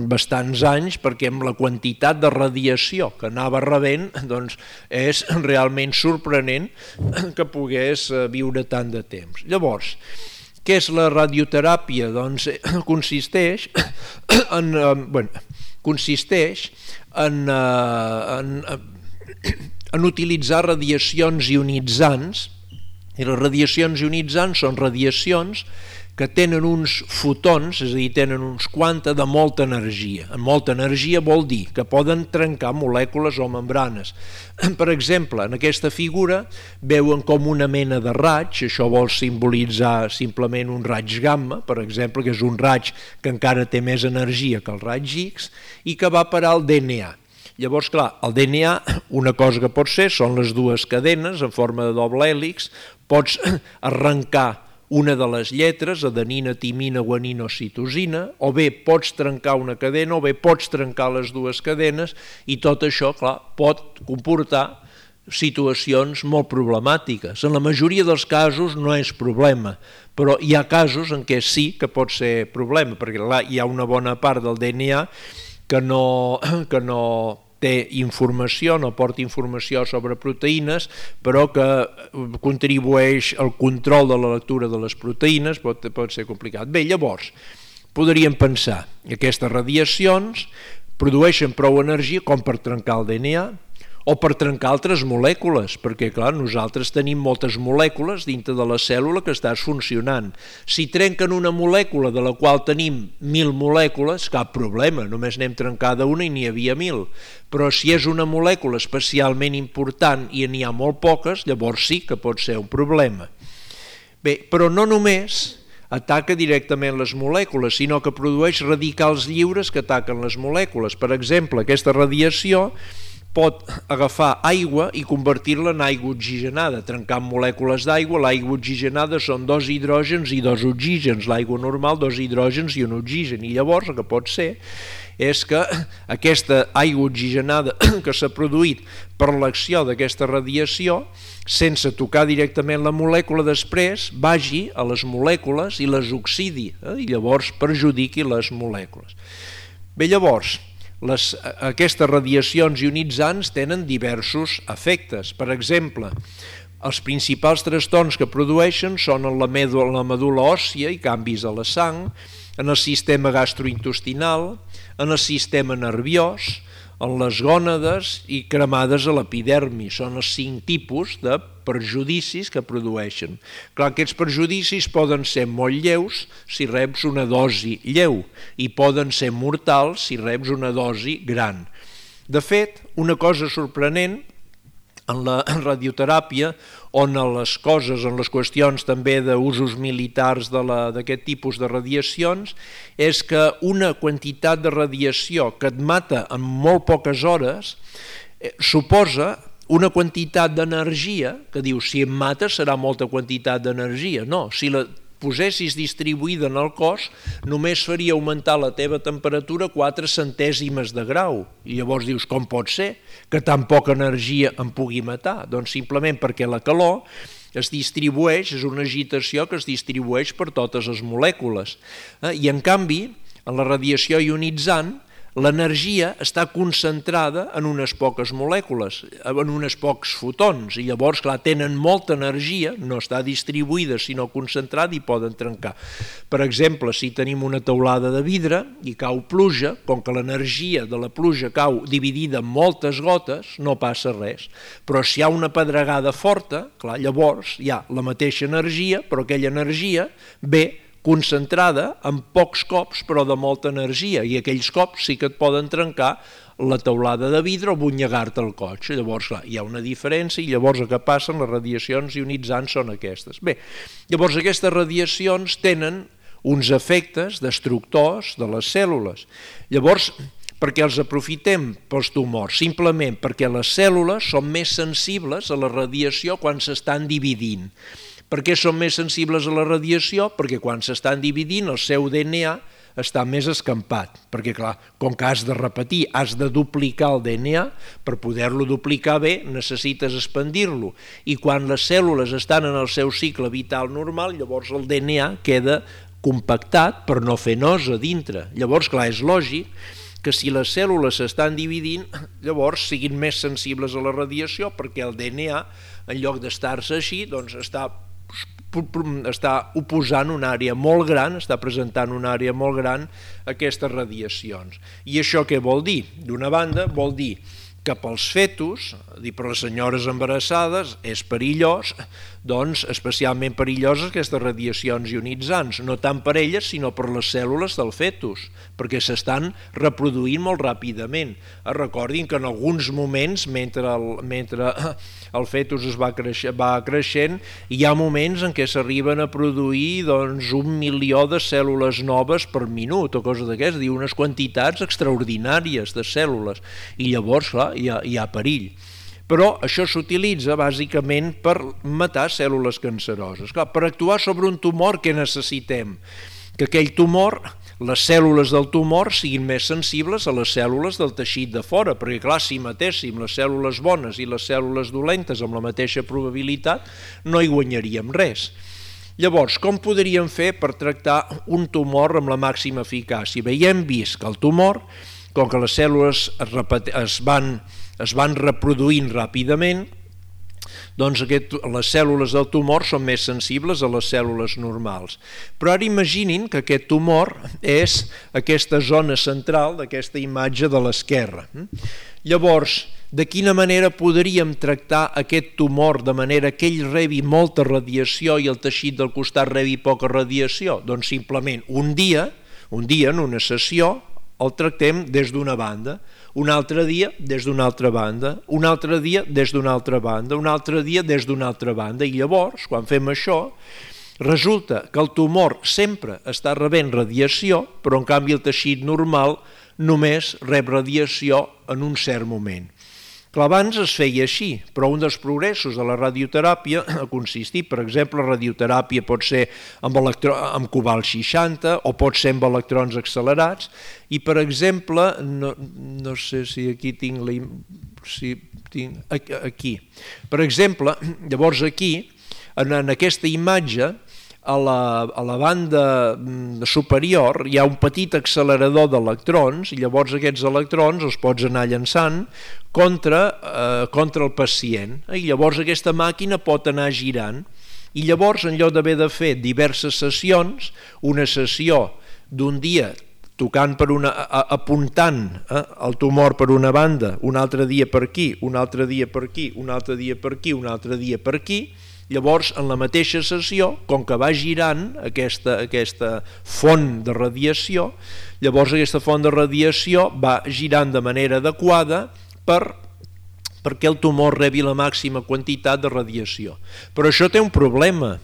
bastants anys perquè amb la quantitat de radiació que anava rebent doncs, és realment sorprenent que pogués viure tant de temps. Llavors, què és la radioteràpia? Doncs consisteix en, bueno, consisteix en, en, en utilitzar radiacions ionitzants, i les radiacions ionitzants són radiacions que tenen uns fotons, és a dir, tenen uns quanta de molta energia. Molta energia vol dir que poden trencar molècules o membranes. Per exemple, en aquesta figura veuen com una mena de raig, això vol simbolitzar simplement un raig gamma, per exemple, que és un raig que encara té més energia que el raig X i que va parar al D N A. Llavors, clar, el D N A, una cosa que pot ser són les dues cadenes en forma de doble hèlix, pots arrencar una de les lletres, adenina, timina, guanina o citosina, o bé pots trencar una cadena o bé pots trencar les dues cadenes i tot això, clar, pot comportar situacions molt problemàtiques. En la majoria dels casos no és problema, però hi ha casos en què sí que pot ser problema, perquè clar, hi ha una bona part del D N A que no, que no té informació, no porta informació sobre proteïnes, però que contribueix al control de la lectura de les proteïnes, pot, pot ser complicat. Bé, llavors, podríem pensar que aquestes radiacions produeixen prou energia com per trencar el D N A o per trencar altres molècules, perquè clar, nosaltres tenim moltes molècules dintre de la cèl·lula que estàs funcionant. Si trenquen una molècula de la qual tenim mil molècules, cap problema, només n'hem trencada una i n'hi havia mil. Però si és una molècula especialment important i n'hi ha molt poques, llavors sí que pot ser un problema. Bé, però no només ataca directament les molècules, sinó que produeix radicals lliures que ataquen les molècules. Per exemple, aquesta radiació pot agafar aigua i convertir-la en aigua oxigenada, trencant molècules d'aigua. L'aigua oxigenada són dos hidrògens i dos oxígens, l'aigua normal dos hidrògens i un oxigen, i llavors el que pot ser és que aquesta aigua oxigenada que s'ha produït per l'acció d'aquesta radiació, sense tocar directament la molècula, després vagi a les molècules i les oxidi, eh? I llavors perjudiqui les molècules. Bé, llavors, Les, aquestes radiacions ionitzants tenen diversos efectes. Per exemple, els principals trastorns que produeixen són en la medul·la, la medul·la òssia i canvis a la sang, en el sistema gastrointestinal, en el sistema nerviós, en les gònades i cremades a l'epidermi. Són els cinc tipus de perjudicis que produeixen. Clar, aquests perjudicis poden ser molt lleus si reps una dosi lleu i poden ser mortals si reps una dosi gran. De fet, una cosa sorprenent en la radioteràpia, on les coses, en les qüestions també d'usos militars d'aquest tipus de radiacions, és que una quantitat de radiació que et mata en molt poques hores eh, suposa una quantitat d'energia, que diu, si em mata serà molta quantitat d'energia. No, si la posessis distribuïda en el cos, només faria augmentar la teva temperatura quatre centèsimes de grau. I llavors dius, com pot ser que tan poca energia em pugui matar? Doncs simplement perquè la calor es distribueix, és una agitació que es distribueix per totes les molècules. I en canvi, en la radiació ionitzant, l'energia està concentrada en unes poques molècules, en uns pocs fotons, i llavors, clar, tenen molta energia, no està distribuïda sinó concentrada i poden trencar. Per exemple, si tenim una teulada de vidre i cau pluja, com que l'energia de la pluja cau dividida en moltes gotes, no passa res. Però si hi ha una pedregada forta, clar, llavors hi ha la mateixa energia, però aquella energia ve concentrada en pocs cops però de molta energia, i aquells cops sí que et poden trencar la teulada de vidre o bunyegar-te el cotxe. Llavors, clar, hi ha una diferència i llavors el que passa en les radiacions ionitzants són aquestes. Bé, llavors aquestes radiacions tenen uns efectes destructors de les cèl·lules. Llavors, per què els aprofitem pels tumors? Simplement perquè les cèl·lules són més sensibles a la radiació quan s'estan dividint. Per què són més sensibles a la radiació? Perquè quan s'estan dividint el seu D N A està més escampat, perquè clar, com que has de repetir, has de duplicar el D N A, per poder-lo duplicar bé necessites expandir-lo, i quan les cèl·lules estan en el seu cicle vital normal, llavors el D N A queda compactat per no fer nosa dintre. Llavors, clar, és lògic que si les cèl·lules s'estan dividint, llavors siguin més sensibles a la radiació, perquè el D N A, en lloc d'estar-se així, doncs està està oposant una àrea molt gran, està presentant una àrea molt gran a aquestes radiacions. I això què vol dir? D'una banda, vol dir que pels fetus, i per les senyores embarassades, és perillós, doncs especialment perilloses aquestes radiacions ionitzants, no tant per elles sinó per les cèl·lules del fetus, perquè s'estan reproduint molt ràpidament. Recordin que en alguns moments, mentre el, mentre el fetus es va, creix, va creixent, hi ha moments en què s'arriben a produir doncs, un milió de cèl·lules noves per minut, o cosa d'aquestes, unes quantitats extraordinàries de cèl·lules, i llavors, clar, hi ha, hi ha perill. Però això s'utilitza bàsicament per matar cèl·lules canceroses. Clar, per actuar sobre un tumor, què necessitem? Que aquell tumor, les cèl·lules del tumor siguin més sensibles a les cèl·lules del teixit de fora, perquè clar, si matéssim les cèl·lules bones i les cèl·lules dolentes amb la mateixa probabilitat, no hi guanyaríem res. Llavors, com podríem fer per tractar un tumor amb la màxima eficàcia? Bé, ja hem vist que el tumor, com que les cèl·lules es, es van es van reproduint ràpidament, doncs aquest, les cèl·lules del tumor són més sensibles a les cèl·lules normals. Però ara imaginin que aquest tumor és aquesta zona central d'aquesta imatge de l'esquerra. Llavors, de quina manera podríem tractar aquest tumor de manera que ell rebi molta radiació i el teixit del costat rebi poca radiació? Doncs simplement un dia, un dia en una sessió, el tractem des d'una banda, un altre dia des d'una altra banda, un altre dia des d'una altra banda, un altre dia des d'una altra banda, i llavors, quan fem això, resulta que el tumor sempre està rebent radiació, però en canvi el teixit normal només rep radiació en un cert moment. Clar, abans es feia així, però un dels progressos de la radioteràpia ha consistit, per exemple, la radioteràpia pot ser amb, electro... amb cobalt seixanta o pot ser amb electrons accelerats, i per exemple, no, no sé si aquí tinc, la... si tinc aquí, per exemple, llavors aquí, en, en aquesta imatge, a la, a la banda superior hi ha un petit accelerador d'electrons, i llavors aquests electrons els pots anar llançant contra, eh, contra el pacient, i llavors aquesta màquina pot anar girant, i llavors en lloc d'haver de fer diverses sessions, una sessió d'un dia tocant per una, apuntant eh, el tumor per una banda, un altre dia per aquí, un altre dia per aquí, un altre dia per aquí, un altre dia per aquí. Llavors, en la mateixa sessió, com que va girant aquesta, aquesta font de radiació, llavors aquesta font de radiació va girant de manera adequada per, perquè el tumor rebi la màxima quantitat de radiació. Però això té un problema,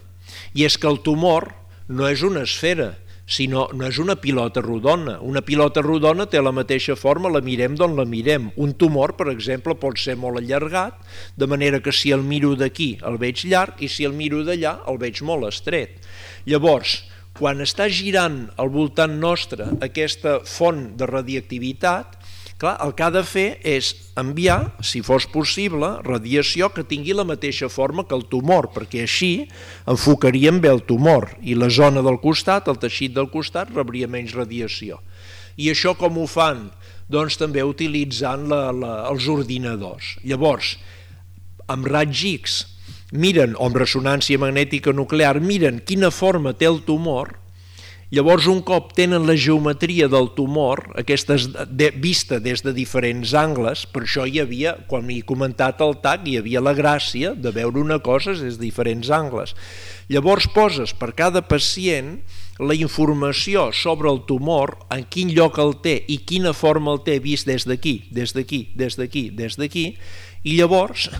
i és que el tumor no és una esfera, sinó no és una pilota rodona. Una pilota rodona té la mateixa forma, la mirem d'on la mirem. Un tumor, per exemple, pot ser molt allargat, de manera que si el miro d'aquí el veig llarg i si el miro d'allà el veig molt estret. Llavors, quan està girant al voltant nostre aquesta font de radioactivitat, clar, el que ha de fer és enviar, si fos possible, radiació que tingui la mateixa forma que el tumor, perquè així enfocaríem bé el tumor i la zona del costat, el teixit del costat, rebria menys radiació. I això com ho fan? Doncs també utilitzant la, la, els ordinadors. Llavors, amb raigs X miren, o amb ressonància magnètica nuclear, miren quina forma té el tumor. Llavors, un cop tenen la geometria del tumor, aquesta de, vista des de diferents angles, per això hi havia, quan m'he comentat el T A C, hi havia la gràcia de veure una cosa des de diferents angles. Llavors poses per cada pacient la informació sobre el tumor, en quin lloc el té i quina forma el té vist des d'aquí, des d'aquí, des d'aquí, des d'aquí, i llavors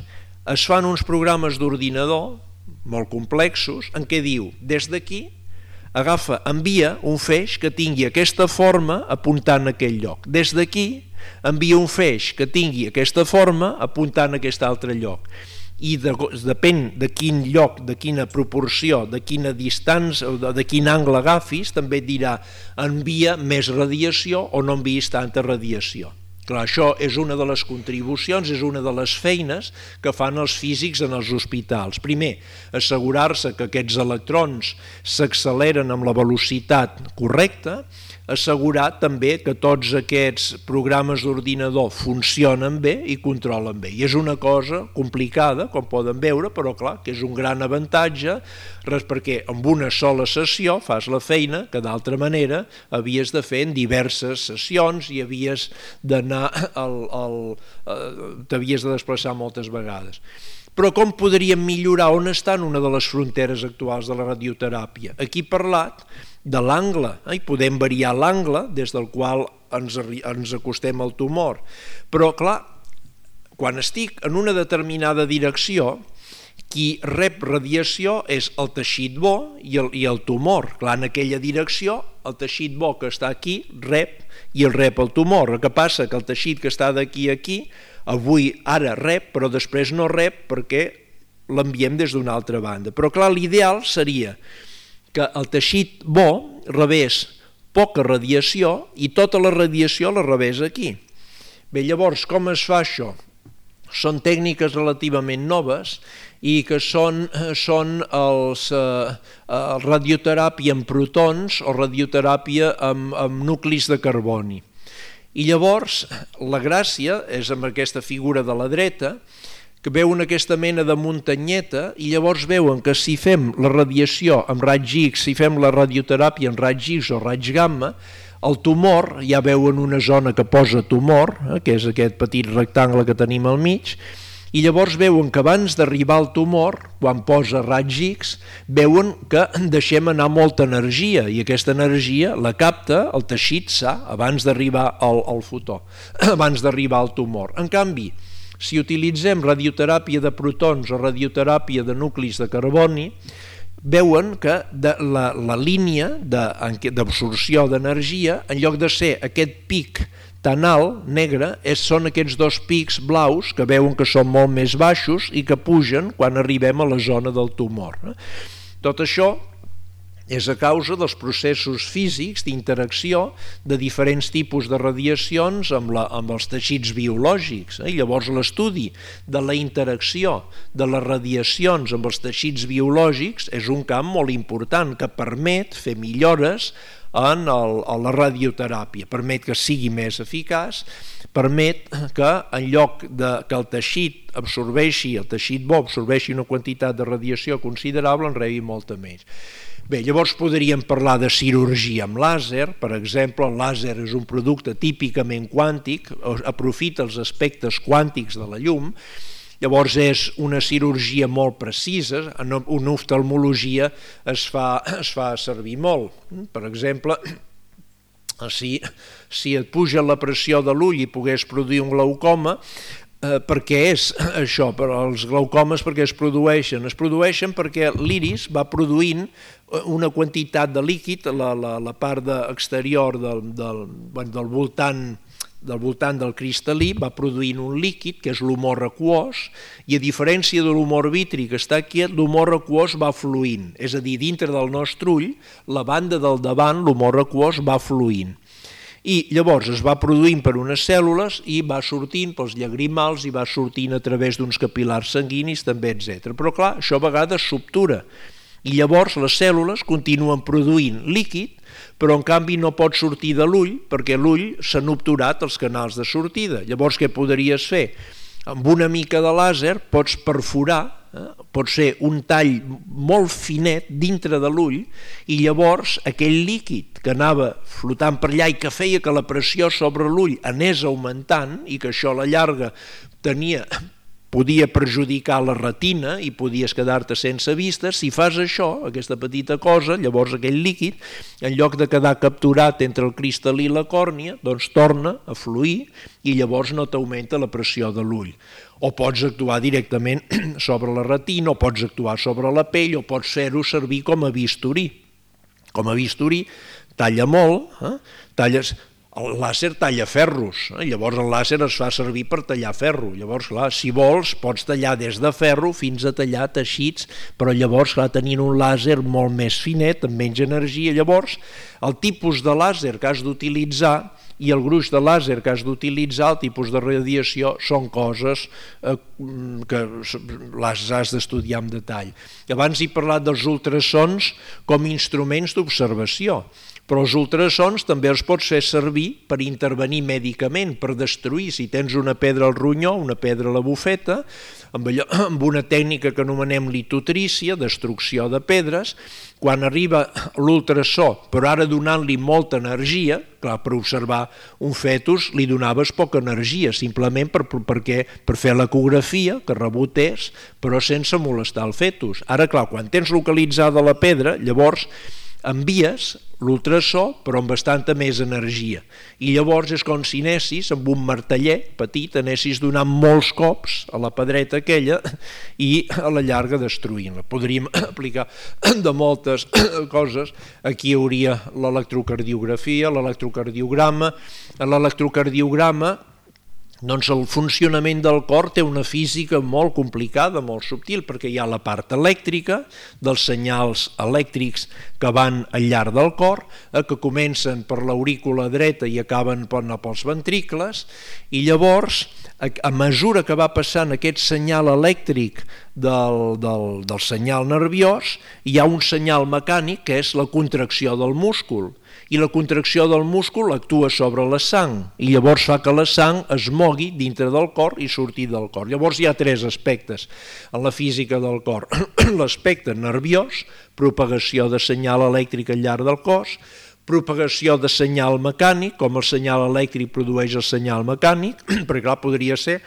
es fan uns programes d'ordinador molt complexos en què diu, des d'aquí, agafa, envia un feix que tingui aquesta forma apuntant a aquell lloc. Des d'aquí envia un feix que tingui aquesta forma apuntant a aquest altre lloc. I de, depèn de quin lloc, de quina proporció, de quina distància, de, de quin angle agafis, també et dirà envia més radiació o no enviïs tanta radiació. Clar, això és una de les contribucions, és una de les feines que fan els físics en els hospitals. Primer, assegurar-se que aquests electrons s'acceleren amb la velocitat correcta, assegurar també que tots aquests programes d'ordinador funcionen bé i controlen bé. I és una cosa complicada, com poden veure, però clar, que és un gran avantatge, perquè amb una sola sessió fas la feina que d'altra manera havies de fer en diverses sessions i havies d'anar al, al, t'havies de desplaçar moltes vegades. Però com podríem millorar? On estan una de les fronteres actuals de la radioteràpia? Aquí he parlat de l'angle, eh? I podem variar l'angle des del qual ens, ens acostem al tumor. Però, clar, quan estic en una determinada direcció, qui rep radiació és el teixit bo i el, i el tumor. Clar, en aquella direcció, el teixit bo que està aquí rep i el rep el tumor. El que passa que el teixit que està d'aquí a aquí, avui ara rep, però després no rep perquè l'enviem des d'una altra banda. Però clar, l'ideal seria que el teixit bo rebés poca radiació i tota la radiació la rebés aquí. Bé, llavors, com es fa això? Són tècniques relativament noves i que són, són els, eh, radioteràpia amb protons o radioteràpia amb, amb nuclis de carboni. I llavors, la gràcia és amb aquesta figura de la dreta, que veuen aquesta mena de muntanyeta i llavors veuen que si fem la radiació amb raigs X, si fem la radioteràpia amb raigs X o raigs gamma, el tumor, ja veuen una zona que posa tumor, eh, que és aquest petit rectangle que tenim al mig, i llavors veuen que abans d'arribar al tumor, quan posa raigs X, veuen que deixem anar molta energia i aquesta energia la capta el teixit sa abans d'arribar al, al fotó, abans d'arribar al tumor. En canvi, si utilitzem radioteràpia de protons o radioteràpia de nuclis de carboni, veuen que de la, la línia d'absorció d'energia, en lloc de ser aquest pic tan alt, negre, és, són aquests dos pics blaus que veuen que són molt més baixos i que pugen quan arribem a la zona del tumor. Tot això és a causa dels processos físics d'interacció de diferents tipus de radiacions amb, la, amb els teixits biològics. Eh? I llavors l'estudi de la interacció de les radiacions amb els teixits biològics és un camp molt important que permet fer millores en el, a la radioteràpia, permet que sigui més eficaç, permet que en lloc de que el teixit absorbeixi, el teixit bo absorbeixi una quantitat de radiació considerable, en rebi molta més. Bé, llavors podríem parlar de cirurgia amb làser, per exemple, el làser és un producte típicament quàntic, aprofita els aspectes quàntics de la llum, llavors és una cirurgia molt precisa, en una oftalmologia es fa, es fa servir molt. Per exemple, si, si et puja la pressió de l'ull i pogués produir un glaucoma, Eh, per què és això? Per els glaucomes perquè es produeixen? Es produeixen perquè l'iris va produint una quantitat de líquid, la, la, la part de exterior del, del, bueno, del, voltant, del voltant del cristal·lí va produint un líquid que és l'humor aquós, i a diferència de l'humor vitri que està quiet, l'humor aquós va fluint, és a dir, dintre del nostre ull, la banda del davant, l'humor aquós va fluint. I llavors es va produint per unes cèl·lules i va sortint pels llagrimals i va sortint a través d'uns capil·lars sanguinis també, etcètera. Però clar, això a vegades s'obtura i llavors les cèl·lules continuen produint líquid, però en canvi no pot sortir de l'ull perquè l'ull s'han obturat els canals de sortida. Llavors què podries fer? Amb una mica de làser pots perforar, eh? pot ser un tall molt finet dintre de l'ull i llavors aquell líquid que anava flotant per allà i que feia que la pressió sobre l'ull anés augmentant i que això a la llarga tenia, podia perjudicar la retina i podies quedar-te sense vista, si fas això, aquesta petita cosa, llavors aquell líquid, en lloc de quedar capturat entre el cristal·lí i la còrnia, doncs torna a fluir i llavors no t'augmenta la pressió de l'ull. O pots actuar directament sobre la retina, o pots actuar sobre la pell, o pots fer-ho servir com a bisturí. Com a bisturí talla molt, eh? talles... El làser talla ferros, eh? Llavors el làser es fa servir per tallar ferro. Llavors, clar, si vols, pots tallar des de ferro fins a tallar teixits, però llavors, clar, tenint un làser molt més finet, amb menys energia, llavors el tipus de làser que has d'utilitzar i el gruix de làser que has d'utilitzar, el tipus de radiació, són coses eh, que les has d'estudiar en detall. Abans he parlat dels ultrasons com instruments d'observació, però els ultrasons també els pots fer servir per intervenir mèdicament, per destruir. Si tens una pedra al ronyó, una pedra a la bufeta, amb, allò, amb una tècnica que anomenem litotrícia, destrucció de pedres, quan arriba l'ultrasó, però ara donant-li molta energia, clar, per observar un fetus li donaves poca energia, simplement per, per, perquè, per fer l'ecografia, que rebotés, però sense molestar el fetus. Ara, clar, quan tens localitzada la pedra, llavors envies l'ultrasó però amb bastanta més energia i llavors és com si anessis amb un martellet petit, anessis donant molts cops a la pedreta aquella i a la llarga destruint-la. Podríem aplicar de moltes coses. Aquí hi hauria l'electrocardiografia, l'electrocardiograma. L'electrocardiograma, doncs el funcionament del cor té una física molt complicada, molt subtil, perquè hi ha la part elèctrica dels senyals elèctrics que van al llarg del cor, eh, que comencen per l'aurícula dreta i acaben pels ventricles, i llavors, a mesura que va passant aquest senyal elèctric del, del, del senyal nerviós, hi ha un senyal mecànic que és la contracció del múscul, i la contracció del múscul actua sobre la sang i llavors fa que la sang es mogui dintre del cor i surti del cor. Llavors hi ha tres aspectes en la física del cor. L'aspecte nerviós, propagació de senyal elèctric al llarg del cos, propagació de senyal mecànic, com el senyal elèctric produeix el senyal mecànic, perquè clar, podria ser...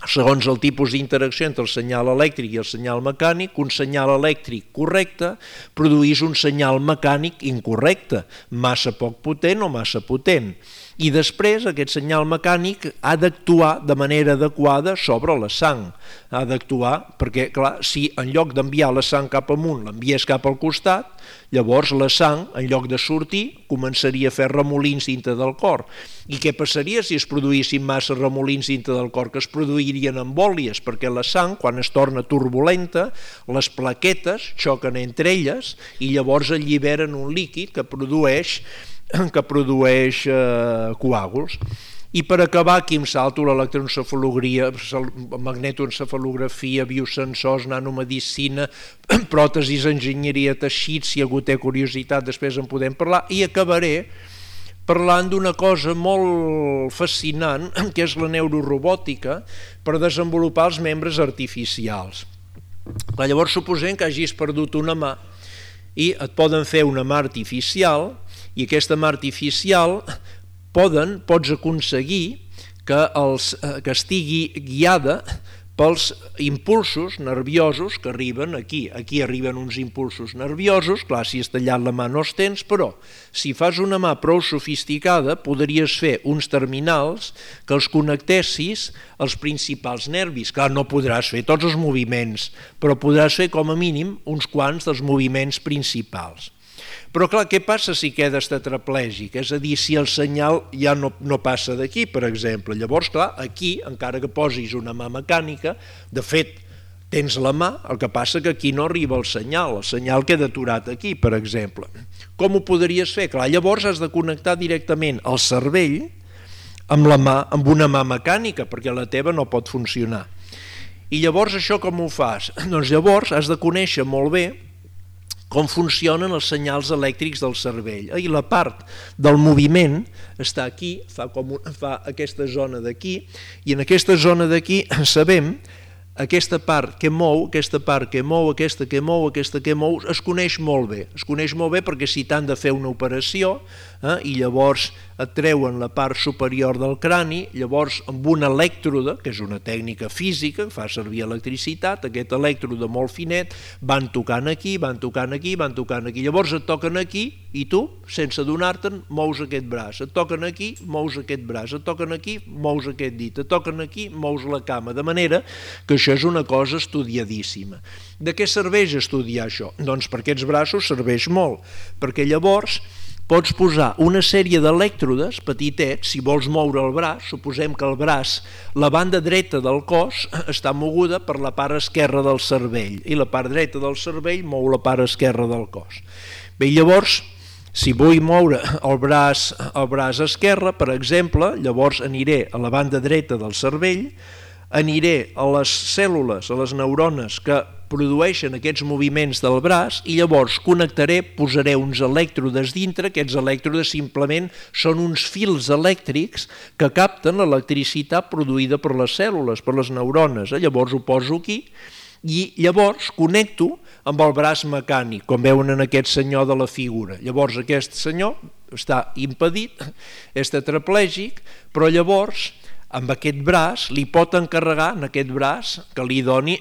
segons el tipus d'interacció entre el senyal elèctric i el senyal mecànic, un senyal elèctric correcte produeix un senyal mecànic incorrecte, massa poc potent o massa potent. I després aquest senyal mecànic ha d'actuar de manera adequada sobre la sang. Ha d'actuar perquè, clar, si en lloc d'enviar la sang cap amunt l'envies cap al costat, llavors la sang, en lloc de sortir, començaria a fer remolins dintre del cor. I què passaria si es produïssin massa remolins dintre del cor? Que es produirien embòlies, perquè la sang, quan es torna turbulenta, les plaquetes xoquen entre elles i llavors alliberen un líquid que produeix que produeix eh, coàguls. I per acabar aquí em salto l'electroencefalografia, magnetoencefalografia, biosensors, nanomedicina, pròtesis, enginyeria, teixits, si algú té curiositat després en podem parlar, i acabaré parlant d'una cosa molt fascinant, que és la neurorobòtica, per desenvolupar els membres artificials. Llavors suposem que hagis perdut una mà i et poden fer una mà artificial, i aquesta mà artificial poden, pots aconseguir que, els, que estigui guiada pels impulsos nerviosos que arriben aquí. Aquí arriben uns impulsos nerviosos, clar, si has tallat la mà no els tens, però si fas una mà prou sofisticada podries fer uns terminals que els connectessis als principals nervis. Clar, no podràs fer tots els moviments, però podràs fer com a mínim uns quants dels moviments principals. Però clar, què passa si quedes tetraplègic? És a dir, si el senyal ja no, no passa d'aquí, per exemple. Llavors, clar, aquí, encara que posis una mà mecànica, de fet, tens la mà, el que passa que aquí no arriba el senyal, el senyal queda aturat aquí, per exemple. Com ho podries fer? Clar, llavors has de connectar directament el cervell amb la mà, amb una mà mecànica, perquè la teva no pot funcionar. I llavors això com ho fas? Doncs llavors has de conèixer molt bé com funcionen els senyals elèctrics del cervell. I la part del moviment està aquí, fa, com un, fa aquesta zona d'aquí, i en aquesta zona d'aquí sabem aquesta part que mou, aquesta part que mou, aquesta que mou, aquesta que mou, es coneix molt bé. Es coneix molt bé perquè si t'han de fer una operació eh, i llavors et treuen la part superior del crani, llavors amb un elèctrode, que és una tècnica física, que fa servir electricitat, aquest elèctrode molt finet, van tocant aquí, van tocant aquí, van tocant aquí. Llavors et toquen aquí i tu, sense adonar-te'n, mous aquest braç. Et toquen aquí, mous aquest braç. Et toquen aquí, mous aquest dit. Et toquen aquí, mous la cama. De manera que això és una cosa estudiadíssima. De què serveix estudiar això? Doncs per aquests braços serveix molt, perquè llavors pots posar una sèrie d'elèctrodes petitets, si vols moure el braç, suposem que el braç, la banda dreta del cos està moguda per la part esquerra del cervell i la part dreta del cervell mou la part esquerra del cos. Bé, llavors, si vull moure el braç, el braç esquerre, per exemple, llavors aniré a la banda dreta del cervell, aniré a les cèl·lules, a les neurones que produeixen aquests moviments del braç i llavors connectaré, posaré uns elèctrodes dintre, aquests elèctrodes simplement són uns fils elèctrics que capten l'electricitat produïda per les cèl·lules, per les neurones. Llavors ho poso aquí i llavors connecto amb el braç mecànic, com veuen en aquest senyor de la figura. Llavors aquest senyor està impedit, és tetraplègic, però llavors amb aquest braç li pot encarregar, en aquest braç que li doni,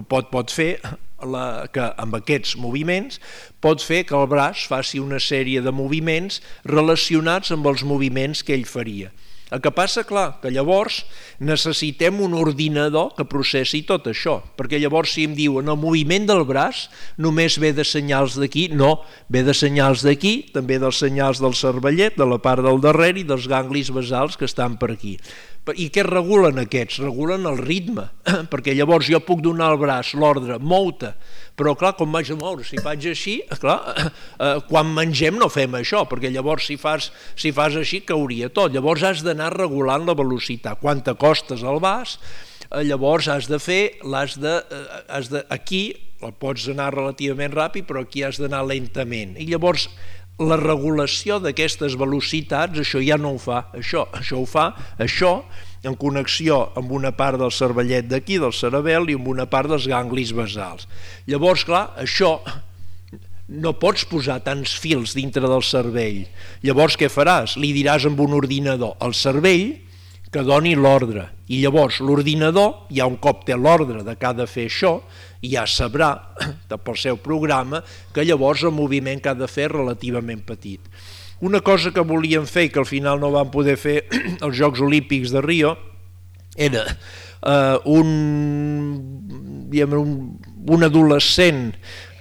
pot, pot fer la, que amb aquests moviments pot fer que el braç faci una sèrie de moviments relacionats amb els moviments que ell faria. El que passa, clar, que llavors necessitem un ordinador que processi tot això, perquè llavors si em diuen el moviment del braç només ve de senyals d'aquí, no, ve de senyals d'aquí, també dels senyals del cervellet, de la part del darrere i dels ganglis basals que estan per aquí. I què regulen aquests? Regulen el ritme, perquè llavors jo puc donar al braç l'ordre, mou-te, però clar, com vaig a moure? Si faig així, clar, eh, quan mengem no fem això, perquè llavors si fas, si fas així cauria tot. Llavors has d'anar regulant la velocitat. Quan t'acostes al vas, eh, llavors has de fer, l'has de, eh, has de, aquí el pots anar relativament ràpid, però aquí has d'anar lentament. I llavors la regulació d'aquestes velocitats, això ja no ho fa, això, això ho fa, això, en connexió amb una part del cervellet d'aquí, del cerebel, i amb una part dels ganglis basals. Llavors, clar, això no pots posar tants fils dintre del cervell. Llavors, què faràs? Li diràs amb un ordinador al cervell que doni l'ordre. I llavors l'ordinador, ja un cop té l'ordre de que ha de fer això, ja sabrà pel seu programa que llavors el moviment que ha de fer és relativament petit. Una cosa que volíem fer i que al final no vam poder fer als Jocs Olímpics de Rio era eh, un, diguem, un, un adolescent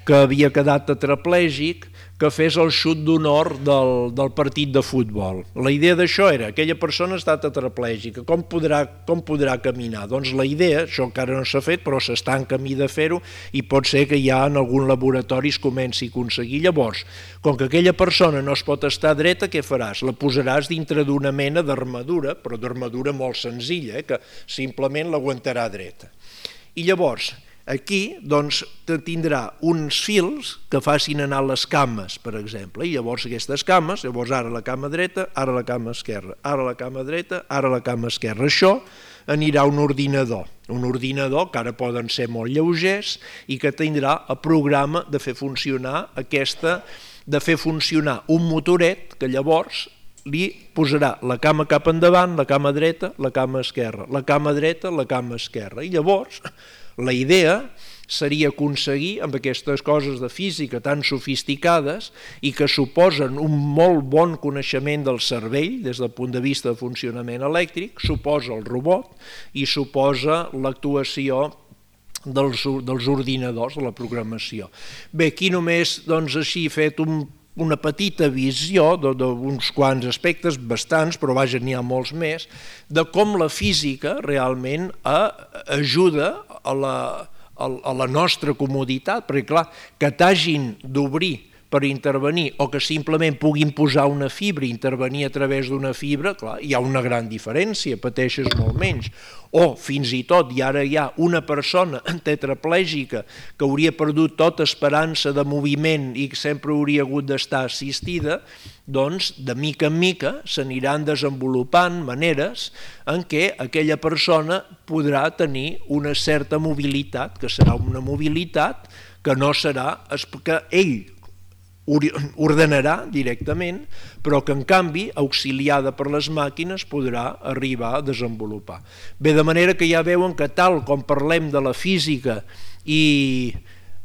que havia quedat tetraplègic, que fes el xut d'honor del, del partit de futbol. La idea d'això era, aquella persona està tetraplègica, com podrà, com podrà caminar? Doncs la idea, això encara no s'ha fet, però s'està en camí de fer-ho i pot ser que ja en algun laboratori es comenci a aconseguir. Llavors, com que aquella persona no es pot estar dreta, què faràs? La posaràs dintre d'una mena d'armadura, però d'armadura molt senzilla, eh, que simplement l'aguantarà dreta. I llavors, aquí doncs, tindrà uns fils que facin anar les cames, per exemple, i llavors aquestes cames, llavors ara la cama dreta, ara la cama esquerra, ara la cama dreta, ara la cama esquerra. Això anirà a un ordinador, un ordinador que ara poden ser molt lleugers i que tindrà el programa de fer funcionar aquesta, de fer funcionar un motoret que llavors li posarà la cama cap endavant, la cama dreta, la cama esquerra, la cama dreta, la cama esquerra. I llavors la idea seria aconseguir, amb aquestes coses de física tan sofisticades i que suposen un molt bon coneixement del cervell des del punt de vista de funcionament elèctric, suposa el robot i suposa l'actuació dels, dels ordinadors, de la programació. Bé, aquí només doncs, així he fet un una petita visió d'uns quants aspectes, bastants, però vaja, n'hi ha molts més, de com la física realment ajuda a la, a la nostra comoditat, perquè clar, que t'hagin d'obrir per intervenir o que simplement puguin posar una fibra i intervenir a través d'una fibra, clar, hi ha una gran diferència, pateixes molt menys. O fins i tot, i ara hi ha una persona tetraplègica que hauria perdut tota esperança de moviment i que sempre hauria hagut d'estar assistida, doncs de mica en mica s'aniran desenvolupant maneres en què aquella persona podrà tenir una certa mobilitat, que serà una mobilitat que no serà, que ell ordenarà directament, però que en canvi, auxiliada per les màquines, podrà arribar a desenvolupar. Bé, de manera que ja veuen que tal com parlem de la física i,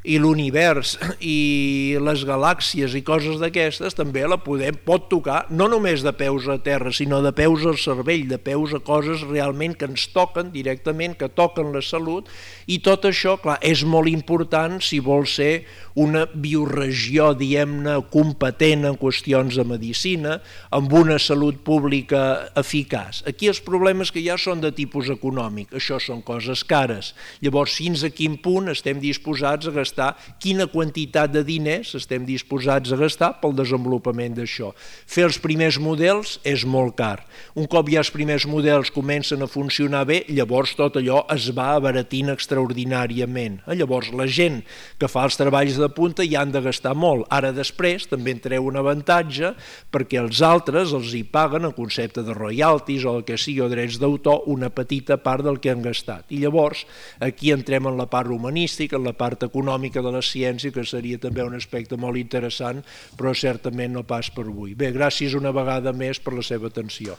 i l'univers i les galàxies i coses d'aquestes, també la podem, pot tocar no només de peus a terra, sinó de peus al cervell, de peus a coses realment que ens toquen directament, que toquen la salut, i tot això, clar, és molt important si vol ser una bioregió, diguem-ne, competent en qüestions de medicina, amb una salut pública eficaç. Aquí els problemes que hi ha són de tipus econòmic, això són coses cares. Llavors, fins a quin punt estem disposats a gastar, quina quantitat de diners estem disposats a gastar pel desenvolupament d'això. Fer els primers models és molt car. Un cop ja els primers models comencen a funcionar bé, llavors tot allò es va abaratint extraordinàriament. Llavors, la gent que fa els treballs de punta ja han de gastar molt. Ara després també en treu un avantatge perquè els altres els hi paguen el concepte de royalties o el que sigui, o drets d'autor, una petita part del que han gastat. I llavors aquí entrem en la part humanística, en la part econòmica de la ciència, que seria també un aspecte molt interessant, però certament no pas per avui. Bé, gràcies una vegada més per la seva atenció.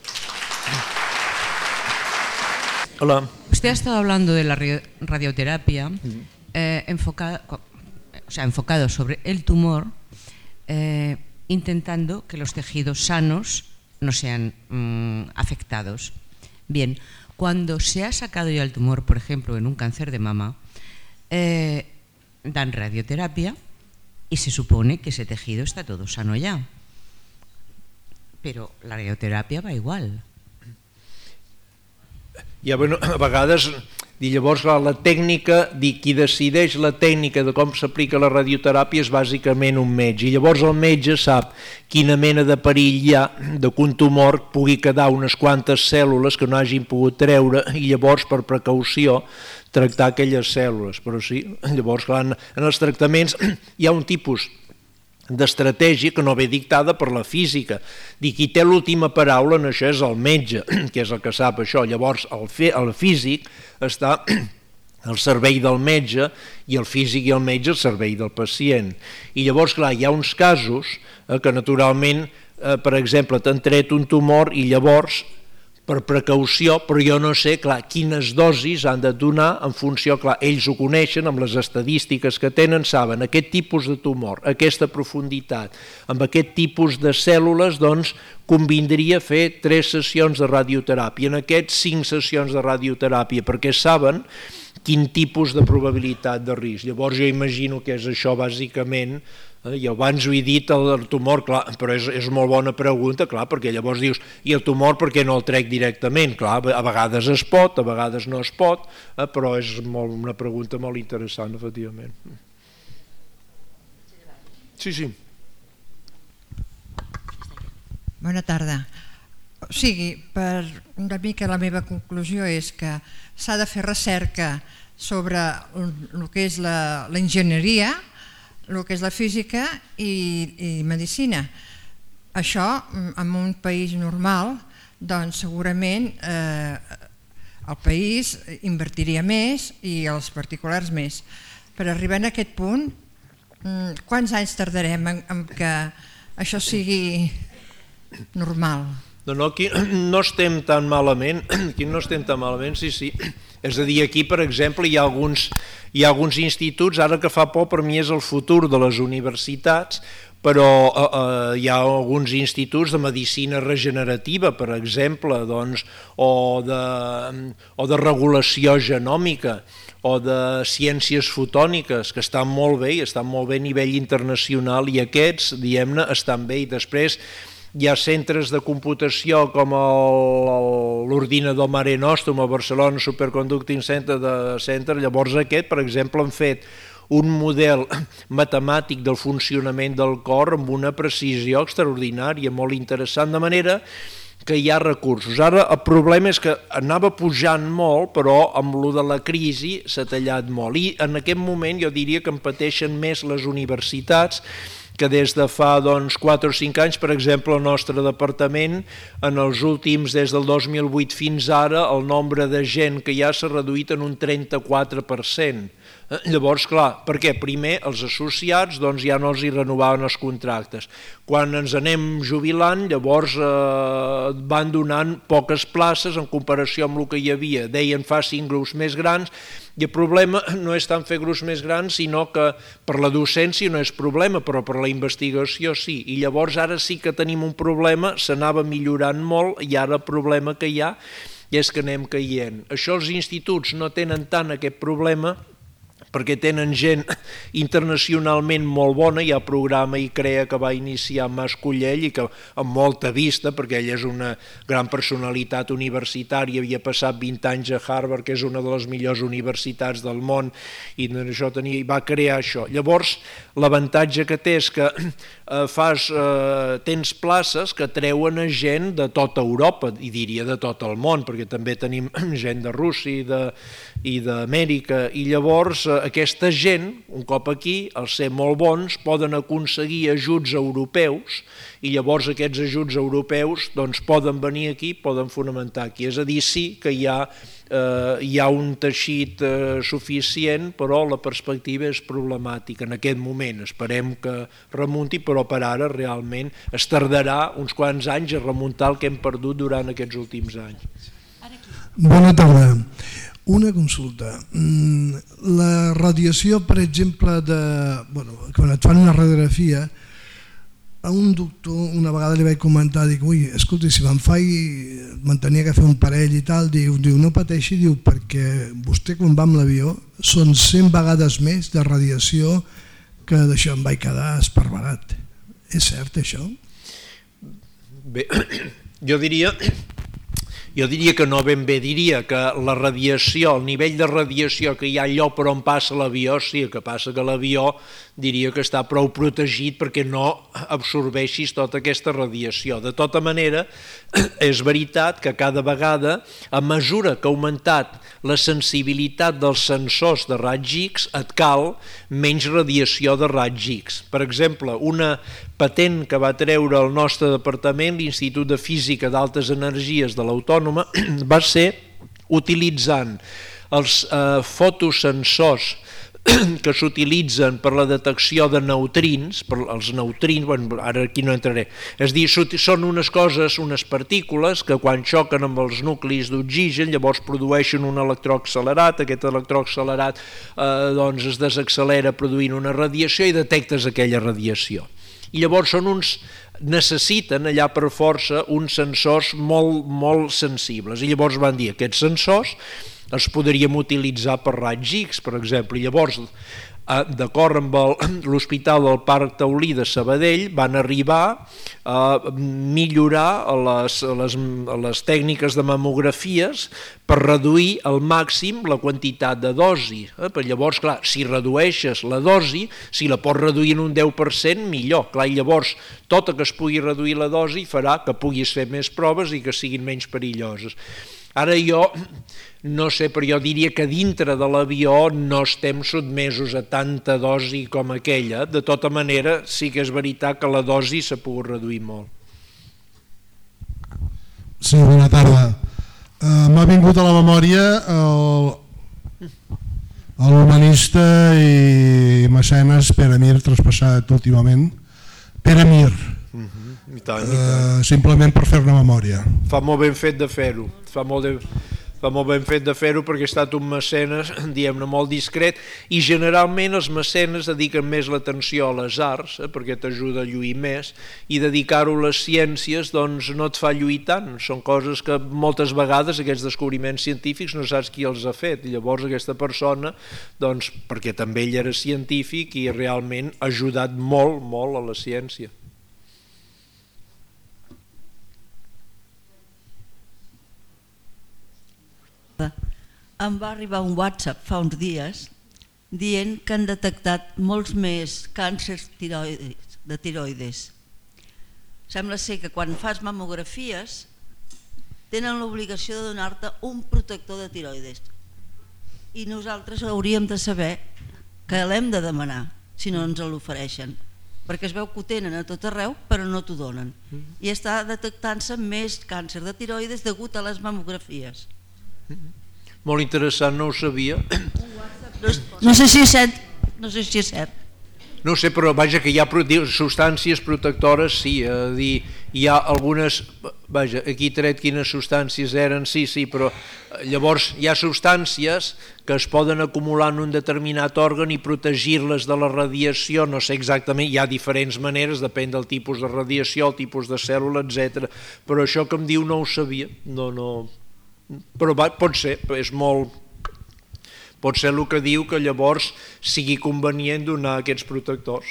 Hola. Usted ha estado hablando de la radioterapia eh, enfocada... O sea, enfocado sobre el tumor, eh, intentando que los tejidos sanos no sean mmm, afectados. Bien, cuando se ha sacado ya el tumor, por ejemplo, en un cáncer de mama, eh, dan radioterapia y se supone que ese tejido está todo sano ya. Però la radioteràpia va igual. Ja, bueno, a vegades... I llavors la tècnica, qui decideix la tècnica de com s'aplica la radioteràpia és bàsicament un metge, i llavors el metge sap quina mena de perill hi ha de que un tumor pugui quedar unes quantes cèl·lules que no hagin pogut treure i llavors per precaució tractar aquelles cèl·lules. Però sí, llavors clar, en els tractaments hi ha un tipus d'estratègia que no ve dictada per la física. Dir, qui té l'última paraula en això és el metge, que és el que sap això. Llavors el, fe, el físic està al servei del metge i el físic i el metge al servei del pacient. I llavors, clar, hi ha uns casos eh, que naturalment, eh, per exemple, t'han tret un tumor i llavors per precaució, però jo no sé, clar, quines dosis han de donar en funció, clar, ells ho coneixen, amb les estadístiques que tenen, saben, aquest tipus de tumor, aquesta profunditat, amb aquest tipus de cèl·lules, doncs, convindria fer tres sessions de radioteràpia, en aquests cinc sessions de radioteràpia, perquè saben quin tipus de probabilitat de risc. Llavors jo imagino que és això bàsicament, eh, i abans ho he dit, el tumor, clar, però és, és molt bona pregunta, clar, perquè llavors dius, i el tumor per què no el trec directament? Clar, a vegades es pot, a vegades no es pot, eh, però és molt, una pregunta molt interessant, efectivament. Sí, sí. Bona tarda. O sigui, per una mica la meva conclusió és que s'ha de fer recerca sobre el que és l'enginyeria, el que és la física i, i medicina. Això, en un país normal, doncs segurament eh, el país invertiria més i els particulars més. Per arribar a aquest punt, quants anys tardarem en, en que això sigui normal? No, no, aquí no estem tan malament, aquí no estem tan malament, sí, sí. És a dir, aquí, per exemple, hi ha alguns, hi ha alguns instituts, ara que fa por per mi és el futur de les universitats, però eh, hi ha alguns instituts de medicina regenerativa, per exemple, doncs, o, de, o de regulació genòmica, o de ciències fotòniques, que estan molt bé, i estan molt bé a nivell internacional, i aquests, diguem-ne, estan bé, i després hi ha centres de computació com l'ordinador Mare Nostrum a Barcelona Superconducting Center, de Center. Llavors aquest, per exemple, han fet un model matemàtic del funcionament del cor amb una precisió extraordinària, molt interessant, de manera que hi ha recursos. Ara el problema és que anava pujant molt, però amb lo de la crisi s'ha tallat molt, i en aquest moment jo diria que en pateixen més les universitats, que des de fa doncs, quatre o cinc anys, per exemple, el nostre departament, en els últims, des del dos mil vuit fins ara, el nombre de gent que ja s'ha reduït en un trenta-quatre per cent. Llavors, clar, perquè primer els associats doncs, ja no els hi renovaven els contractes. Quan ens anem jubilant, llavors eh, van donant poques places en comparació amb el que hi havia. Deien fa cinc grups més grans, i el problema no és tant fer grups més grans, sinó que per la docència no és problema, però per la investigació sí. I llavors ara sí que tenim un problema, s'anava millorant molt, i ara el problema que hi ha és que anem caient. Això els instituts no tenen tant aquest problema, perquè tenen gent internacionalment molt bona. Hi ha programa i crea que va iniciar Mas Collell i que amb molta vista, perquè ell és una gran personalitat universitària, havia passat vint anys a Harvard, que és una de les millors universitats del món, i això tenia, i va crear això. Llavors, l'avantatge que té és que eh, fas, eh, tens places que treuen a gent de tota Europa, i diria de tot el món, perquè també tenim gent de Rússia i de i d'Amèrica, i llavors eh, aquesta gent, un cop aquí, al ser molt bons, poden aconseguir ajuts europeus, i llavors aquests ajuts europeus doncs, poden venir aquí, poden fonamentar aquí. És a dir, sí que hi ha, eh, hi ha un teixit eh, suficient, però la perspectiva és problemàtica en aquest moment. Esperem que remunti, però per ara realment es tardarà uns quants anys a remuntar el que hem perdut durant aquests últims anys. Bona tarda. Una consulta. La radiació, per exemple, de, bueno, quan et fan una radiografia, a un doctor una vegada li vaig comentar, dic, ui, escolta, si me'n faig, me'n tenia que fer un parell i tal, diu, diu no pateixi, diu, perquè vostè quan va amb l'avió són cent vegades més de radiació que d'això em vaig quedar esparverat. És cert això? Bé, jo diria... Jo diria que no ben bé, diria que la radiació, el nivell de radiació que hi ha allò per on passa l'avió, sí, el que passa que l'avió diria que està prou protegit perquè no absorbeixis tota aquesta radiació. De tota manera, és veritat que cada vegada, a mesura que ha augmentat la sensibilitat dels sensors de raigs X, et cal menys radiació de raigs X. Per exemple, una patent que va treure el nostre departament, l'Institut de Física d'Altes Energies de l'Autònoma, va ser utilitzant els eh, fotosensors que s'utilitzen per la detecció de neutrins, per els neutrins, bueno, ara aquí no entraré, és dir, són unes coses, unes partícules que quan xoquen amb els nuclis d'oxigen llavors produeixen un electró accelerat, aquest electró accelerat eh, doncs es desaccelera produint una radiació i detectes aquella radiació. I llavors són uns, necessiten allà per força uns sensors molt, molt sensibles. I llavors van dir, aquests sensors els podríem utilitzar per raigs X, per exemple. I llavors, d'acord amb l'Hospital del Parc Taulí de Sabadell, van arribar a millorar les, les, les tècniques de mamografies per reduir al màxim la quantitat de dosi. Eh? Però llavors, clar, si redueixes la dosi, si la pots reduir en un deu per cent, millor. Clar, i llavors, tot el que es pugui reduir la dosi farà que puguis fer més proves i que siguin menys perilloses. Ara jo, no sé, però jo diria que dintre de l'avió no estem sotmesos a tanta dosi com aquella. De tota manera, sí que és veritat que la dosi s'ha pogut reduir molt. Sí, bona tarda. Uh, M'ha vingut a la memòria l'humanista i mecenes Pere Mir, traspassat últimament. Pere Mir. Uh-huh. I tant, i tant. Uh, simplement per fer-ne memòria. Fa molt ben fet de fer-ho. Fa molt de... fa molt ben fet de fer-ho perquè ha estat un mecenes, diguem-ne, molt discret, i generalment els mecenes dediquen més l'atenció a les arts, eh, perquè t'ajuda a lluir més, i dedicar-ho a les ciències doncs no et fa lluir tant. Són coses que moltes vegades aquests descobriments científics no saps qui els ha fet, i llavors aquesta persona, doncs, perquè també ell era científic i realment ha ajudat molt, molt a la ciència. Em va arribar un WhatsApp fa uns dies dient que han detectat molts més càncers tiroides, de tiroides. Sembla ser que quan fas mamografies tenen l'obligació de donar-te un protector de tiroides i nosaltres hauríem de saber que l'hem de demanar si no ens l'ofereixen, perquè es veu que ho tenen a tot arreu però no t'ho donen i està detectant-se més càncer de tiroides degut a les mamografies. Molt interessant, no ho sabia. No sé si és cert, no sé si és cert. No sé, però vaja que hi ha substàncies protectores, sí, a dir, hi ha algunes, vaja, aquí tret quines substàncies eren, sí, sí, però llavors hi ha substàncies que es poden acumular en un determinat òrgan i protegir-les de la radiació, no sé exactament, hi ha diferents maneres, depèn del tipus de radiació, el tipus de cèl·lula, etcètera. Però això que em diu no ho sabia, no, no... Però va, pot ser, és molt... pot ser el que diu que llavors sigui convenient donar aquests protectors.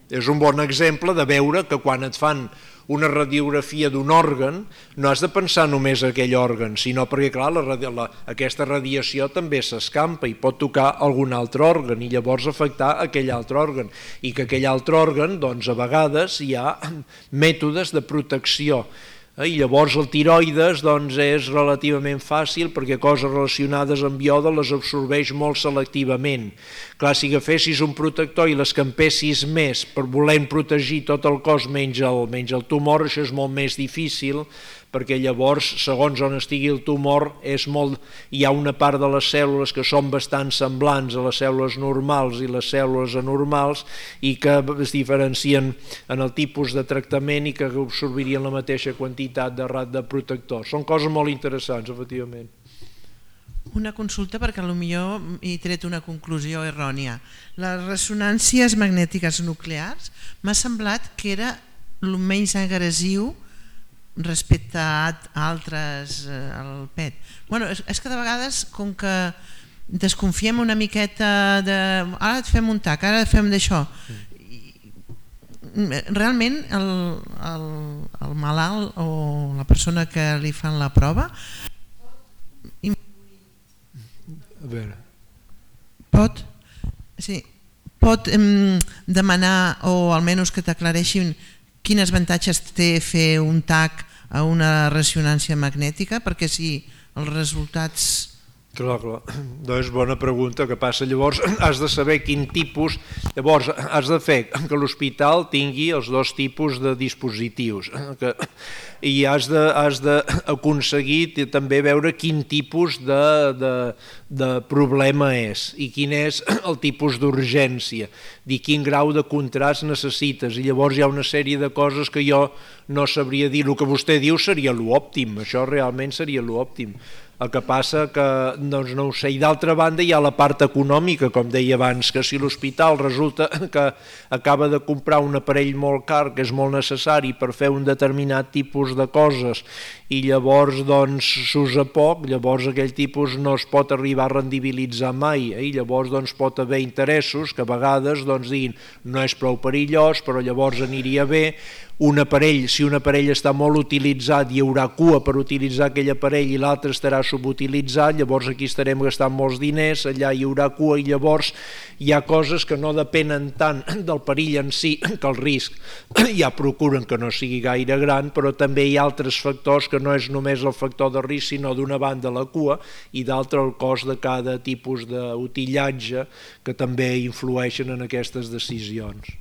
És un bon exemple de veure que quan et fan una radiografia d'un òrgan no has de pensar només en aquell òrgan, sinó perquè clar, la, la, aquesta radiació també s'escampa i pot tocar algun altre òrgan i llavors afectar aquell altre òrgan i que aquell altre òrgan, doncs a vegades hi ha mètodes de protecció. I llavors el tiroides doncs, és relativament fàcil perquè coses relacionades amb iode les absorbeix molt selectivament. Clar, si agafessis un protector i l'escampessis més per voler protegir tot el cos menys el, menys el tumor, això és molt més difícil perquè llavors, segons on estigui el tumor, és molt... hi ha una part de les cèl·lules que són bastant semblants a les cèl·lules normals i les cèl·lules anormals i que es diferencien en el tipus de tractament i que absorbirien la mateixa quantitat de rat de protector. Són coses molt interessants, efectivament. Una consulta perquè potser he tret una conclusió errònia. Les ressonàncies magnètiques nuclears m'ha semblat que era el menys agressiu respecte a altres, al P E T. Bueno, és que de vegades, com que desconfiem una miqueta de ara et fem un tac, ara et fem d'això, realment el, el, el malalt o la persona que li fan la prova a veure. pot sí, pot em, demanar o almenys que t'aclareixin quins avantatges té fer un tac a una ressonància magnètica, perquè si els resultats... Clar, clar. Doncs bona pregunta, que passa llavors has de saber quin tipus, llavors has de fer que l'hospital tingui els dos tipus de dispositius que, i has d'aconseguir també veure quin tipus de, de, de problema és i quin és el tipus d'urgència, dir quin grau de contrast necessites i llavors hi ha una sèrie de coses que jo no sabria dir. El que vostè diu seria l'òptim, això realment seria l'òptim. El que passa que, doncs no ho sé, i d'altra banda hi ha la part econòmica, com deia abans, que si l'hospital resulta que acaba de comprar un aparell molt car, que és molt necessari per fer un determinat tipus de coses, i llavors doncs s'usa poc, llavors aquell tipus no es pot arribar a rendibilitzar mai, eh? I llavors doncs pot haver interessos que a vegades doncs diguin no és prou perillós, però llavors aniria bé un aparell, si un aparell està molt utilitzat hi haurà cua per utilitzar aquell aparell i l'altre estarà subutilitzat, llavors aquí estarem gastant molts diners, allà hi haurà cua i llavors hi ha coses que no depenen tant del perill en si que el risc, ja procuren que no sigui gaire gran, però també hi ha altres factors que no és només el factor de risc sinó d'una banda la cua i d'altra el cost de cada tipus d'utillatge que també influeixen en aquestes decisions.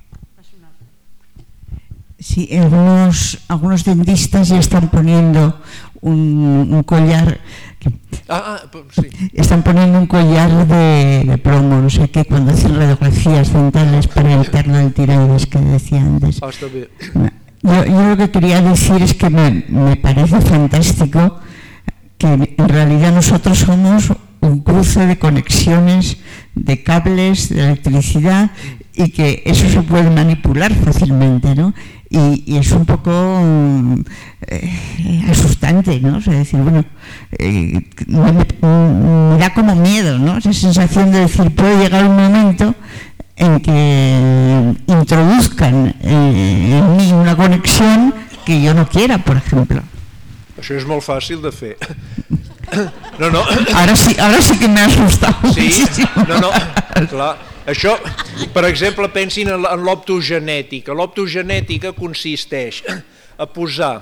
Sí, algunos, algunos dentistas ya están poniendo un, un collar, que, ah, ah, sí. están poniendo un collar de, de plomo, no sé qué, cuando hacen radiografías dentales para evitar lo del tiroides que decía antes. Ah, está bien. Yo, yo lo que quería decir es que me, me parece fantástico que en realidad nosotros somos un cruce de conexiones, de cables, de electricidad y que eso se puede manipular fácilmente, ¿no? Y, y es un poco eh, asustante, ¿no? O sea, decir, bueno, eh, me, me da como miedo, ¿no? Esa sensación de decir, puede llegar un momento en que introduzcan eh, en mí una conexión que yo no quiera, por ejemplo. Això és molt fàcil de fer. No, no. Ahora sí, ahora sí que me ha asustado. Sí, muchísimo. no, no, clar. Això, per exemple, pensin en l'optogenètica. L'optogenètica consisteix a posar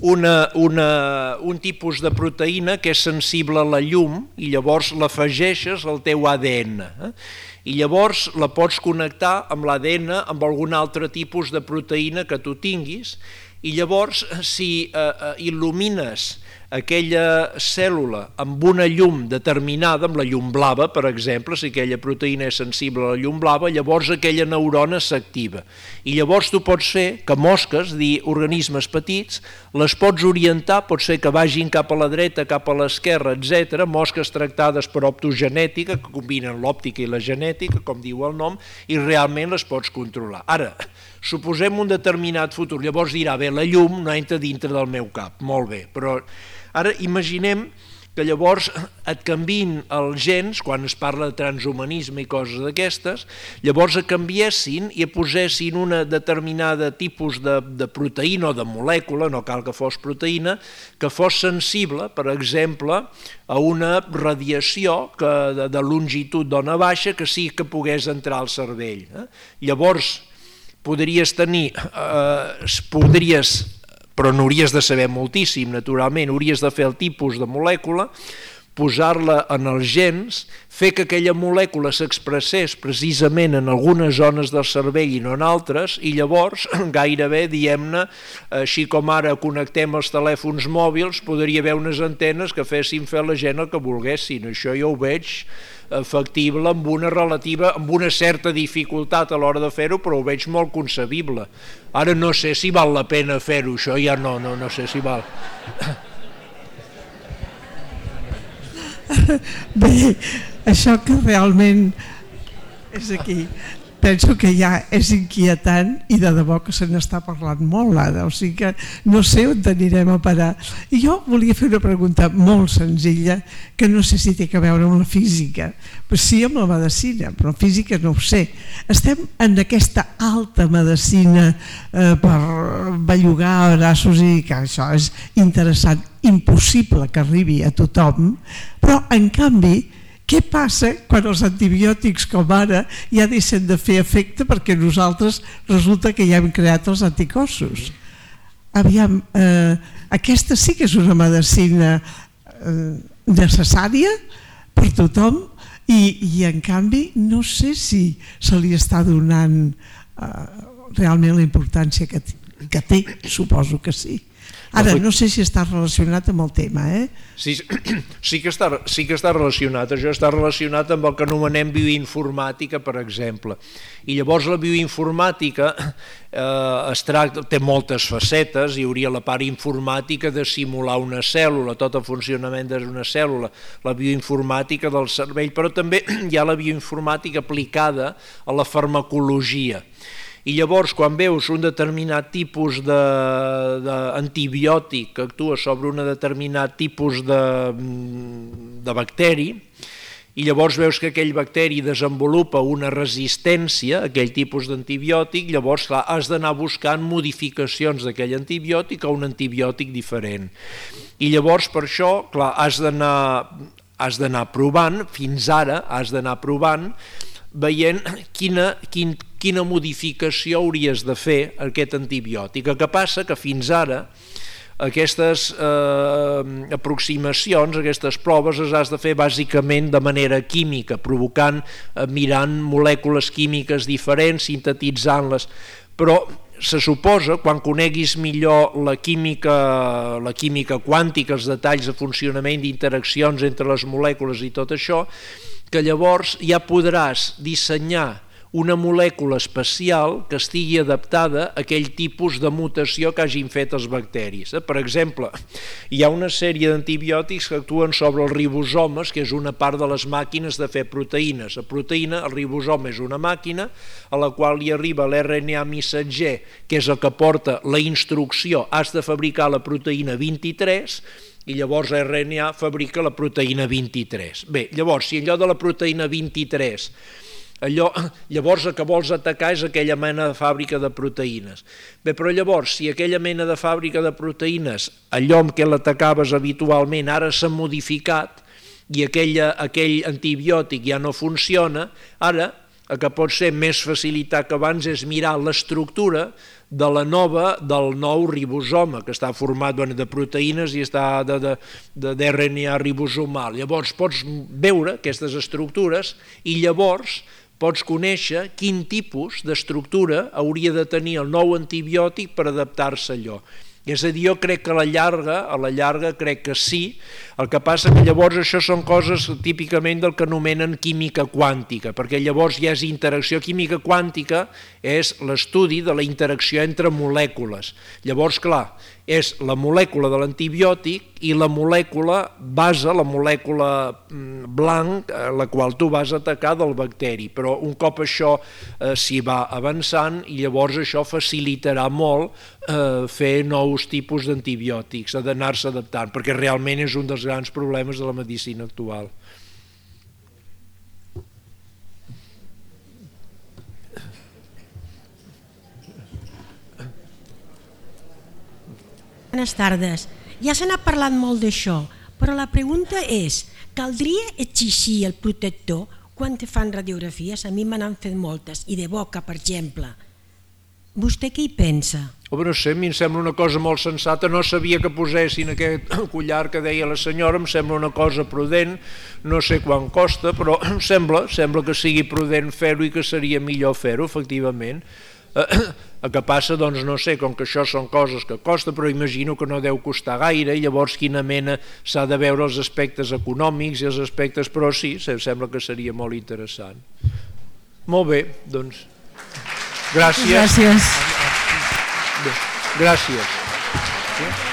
una, una, un tipus de proteïna que és sensible a la llum i llavors l'afegeixes al teu A D N. Eh? I llavors la pots connectar amb l'A D N amb algun altre tipus de proteïna que tu tinguis i llavors si eh, il·lumines aquella cèl·lula amb una llum determinada, amb la llum blava, per exemple, si aquella proteïna és sensible a la llum blava, llavors aquella neurona s'activa. I llavors tu pots fer que mosques, dir organismes petits, les pots orientar, pot ser que vagin cap a la dreta, cap a l'esquerra, etcètera, mosques tractades per optogenètica, que combinen l'òptica i la genètica, com diu el nom, i realment les pots controlar. Ara, suposem un determinat futur, llavors dirà, bé, la llum no entra dintre del meu cap, molt bé, però ara imaginem que llavors et canviïn els gens, quan es parla de transhumanisme i coses d'aquestes, llavors et canviessin i et posessin una determinada tipus de, de proteïna o de molècula, no cal que fos proteïna, que fos sensible, per exemple, a una radiació que, de, de longitud d'ona baixa que sí que pogués entrar al cervell. Eh? Llavors podries tenir, eh, podries però n'hauries de saber moltíssim, naturalment, hauries de fer el tipus de molècula, posar-la en els gens, fer que aquella molècula s'expressés precisament en algunes zones del cervell i no en altres, i llavors, gairebé, diguem-ne, així com ara connectem els telèfons mòbils, podria haver unes antenes que fessin fer a la gent el que volguessin. Això jo ho veig factible amb una relativa, amb una certa dificultat a l'hora de fer-ho, però ho veig molt concebible. Ara no sé si val la pena fer-ho, això ja no, no, no sé si val. Bé, això que realment és aquí, penso que ja és inquietant i de debò que se n'està parlant molt ara, o sigui que no sé on anirem a parar. I jo volia fer una pregunta molt senzilla que no sé si té a veure amb la física, però sí amb la medicina, però física no ho sé. Estem en aquesta alta medicina eh, per bellugar braços i que això és interessant, impossible que arribi a tothom, però en canvi què passa quan els antibiòtics com ara ja deixen de fer efecte perquè nosaltres resulta que ja hem creat els anticossos? Aviam, eh, aquesta sí que és una medicina eh, necessària per tothom i, i en canvi no sé si se li està donant eh, realment la importància que, que té, suposo que sí. Ara, no sé si està relacionat amb el tema, eh? Sí, sí, que està, sí que està relacionat, això està relacionat amb el que anomenem bioinformàtica, per exemple. I llavors la bioinformàtica eh, es tracta, té moltes facetes, hi hauria la part informàtica de simular una cèl·lula, tot el funcionament d'una cèl·lula, la bioinformàtica del cervell, però també hi ha la bioinformàtica aplicada a la farmacologia. I llavors, quan veus un determinat tipus d'antibiòtic que actua sobre un determinat tipus de, de bacteri, i llavors veus que aquell bacteri desenvolupa una resistència a aquell tipus d'antibiòtic, llavors clar, has d'anar buscant modificacions d'aquell antibiòtic a un antibiòtic diferent. I llavors per això clar, has d'anar has d'anar provant, fins ara has d'anar provant, veient quina, quin, quina modificació hauries de fer a aquest antibiòtic. El que passa que fins ara aquestes eh, aproximacions, aquestes proves les has de fer bàsicament de manera química, provocant, eh, mirant molècules químiques diferents, sintetitzant-les, però se suposa, quan coneguis millor la química, la química quàntica, els detalls de funcionament d'interaccions entre les molècules i tot això, que llavors ja podràs dissenyar una molècula especial que estigui adaptada a aquell tipus de mutació que hagin fet els bacteris. Per exemple, hi ha una sèrie d'antibiòtics que actuen sobre els ribosomes, que és una part de les màquines de fer proteïnes. La proteïna, el ribosoma és una màquina a la qual li arriba l'R N A missatger, que és el que porta la instrucció, has de fabricar la proteïna vint-i-tres, i llavors R N A fabrica la proteïna vint-i-tres. Bé, llavors, si en lloc de la proteïna vint-i-tres allò, llavors el que vols atacar és aquella mena de fàbrica de proteïnes. Bé, però llavors, si aquella mena de fàbrica de proteïnes, allò amb què l'atacaves habitualment, ara s'ha modificat i aquella, aquell antibiòtic ja no funciona, ara el que pot ser més facilitat que abans és mirar l'estructura de la nova, del nou ribosoma, que està format bueno, de proteïnes i està de, de, de, d'R N A ribosomal. Llavors pots veure aquestes estructures i llavors pots conèixer quin tipus d'estructura hauria de tenir el nou antibiòtic per adaptar-se a allò. És a dir, jo crec que a la llarga, a la llarga crec que sí, el que passa que llavors això són coses típicament del que anomenen química quàntica, perquè llavors ja és interacció. Química quàntica és l'estudi de la interacció entre molècules. Llavors, clar, és la molècula de l'antibiòtic i la molècula base, la molècula blanc, la qual tu vas atacar del bacteri, però un cop això eh, s'hi va avançant i llavors això facilitarà molt eh, fer nous tipus d'antibiòtics, ha d'anar-se adaptant, perquè realment és un dels grans problemes de la medicina actual. Bones tardes. Ja se n'ha parlat molt d'això, però la pregunta és, caldria exigir el protector quan te fan radiografies? A mi me n'han fet moltes, i de boca, per exemple. Vostè què hi pensa? Oh, no sé, a mi em sembla una cosa molt sensata, no sabia que posessin aquest collar que deia la senyora, em sembla una cosa prudent, no sé quant costa, però em sembla, sembla que sigui prudent fer-ho i que seria millor fer-ho, efectivament. El que passa, doncs no sé, com que això són coses que costa, però imagino que no deu costar gaire, i llavors quina mena s'ha de veure els aspectes econòmics i els aspectes, però sí, sembla que seria molt interessant. Molt bé, doncs, gràcies. Gràcies. Gràcies.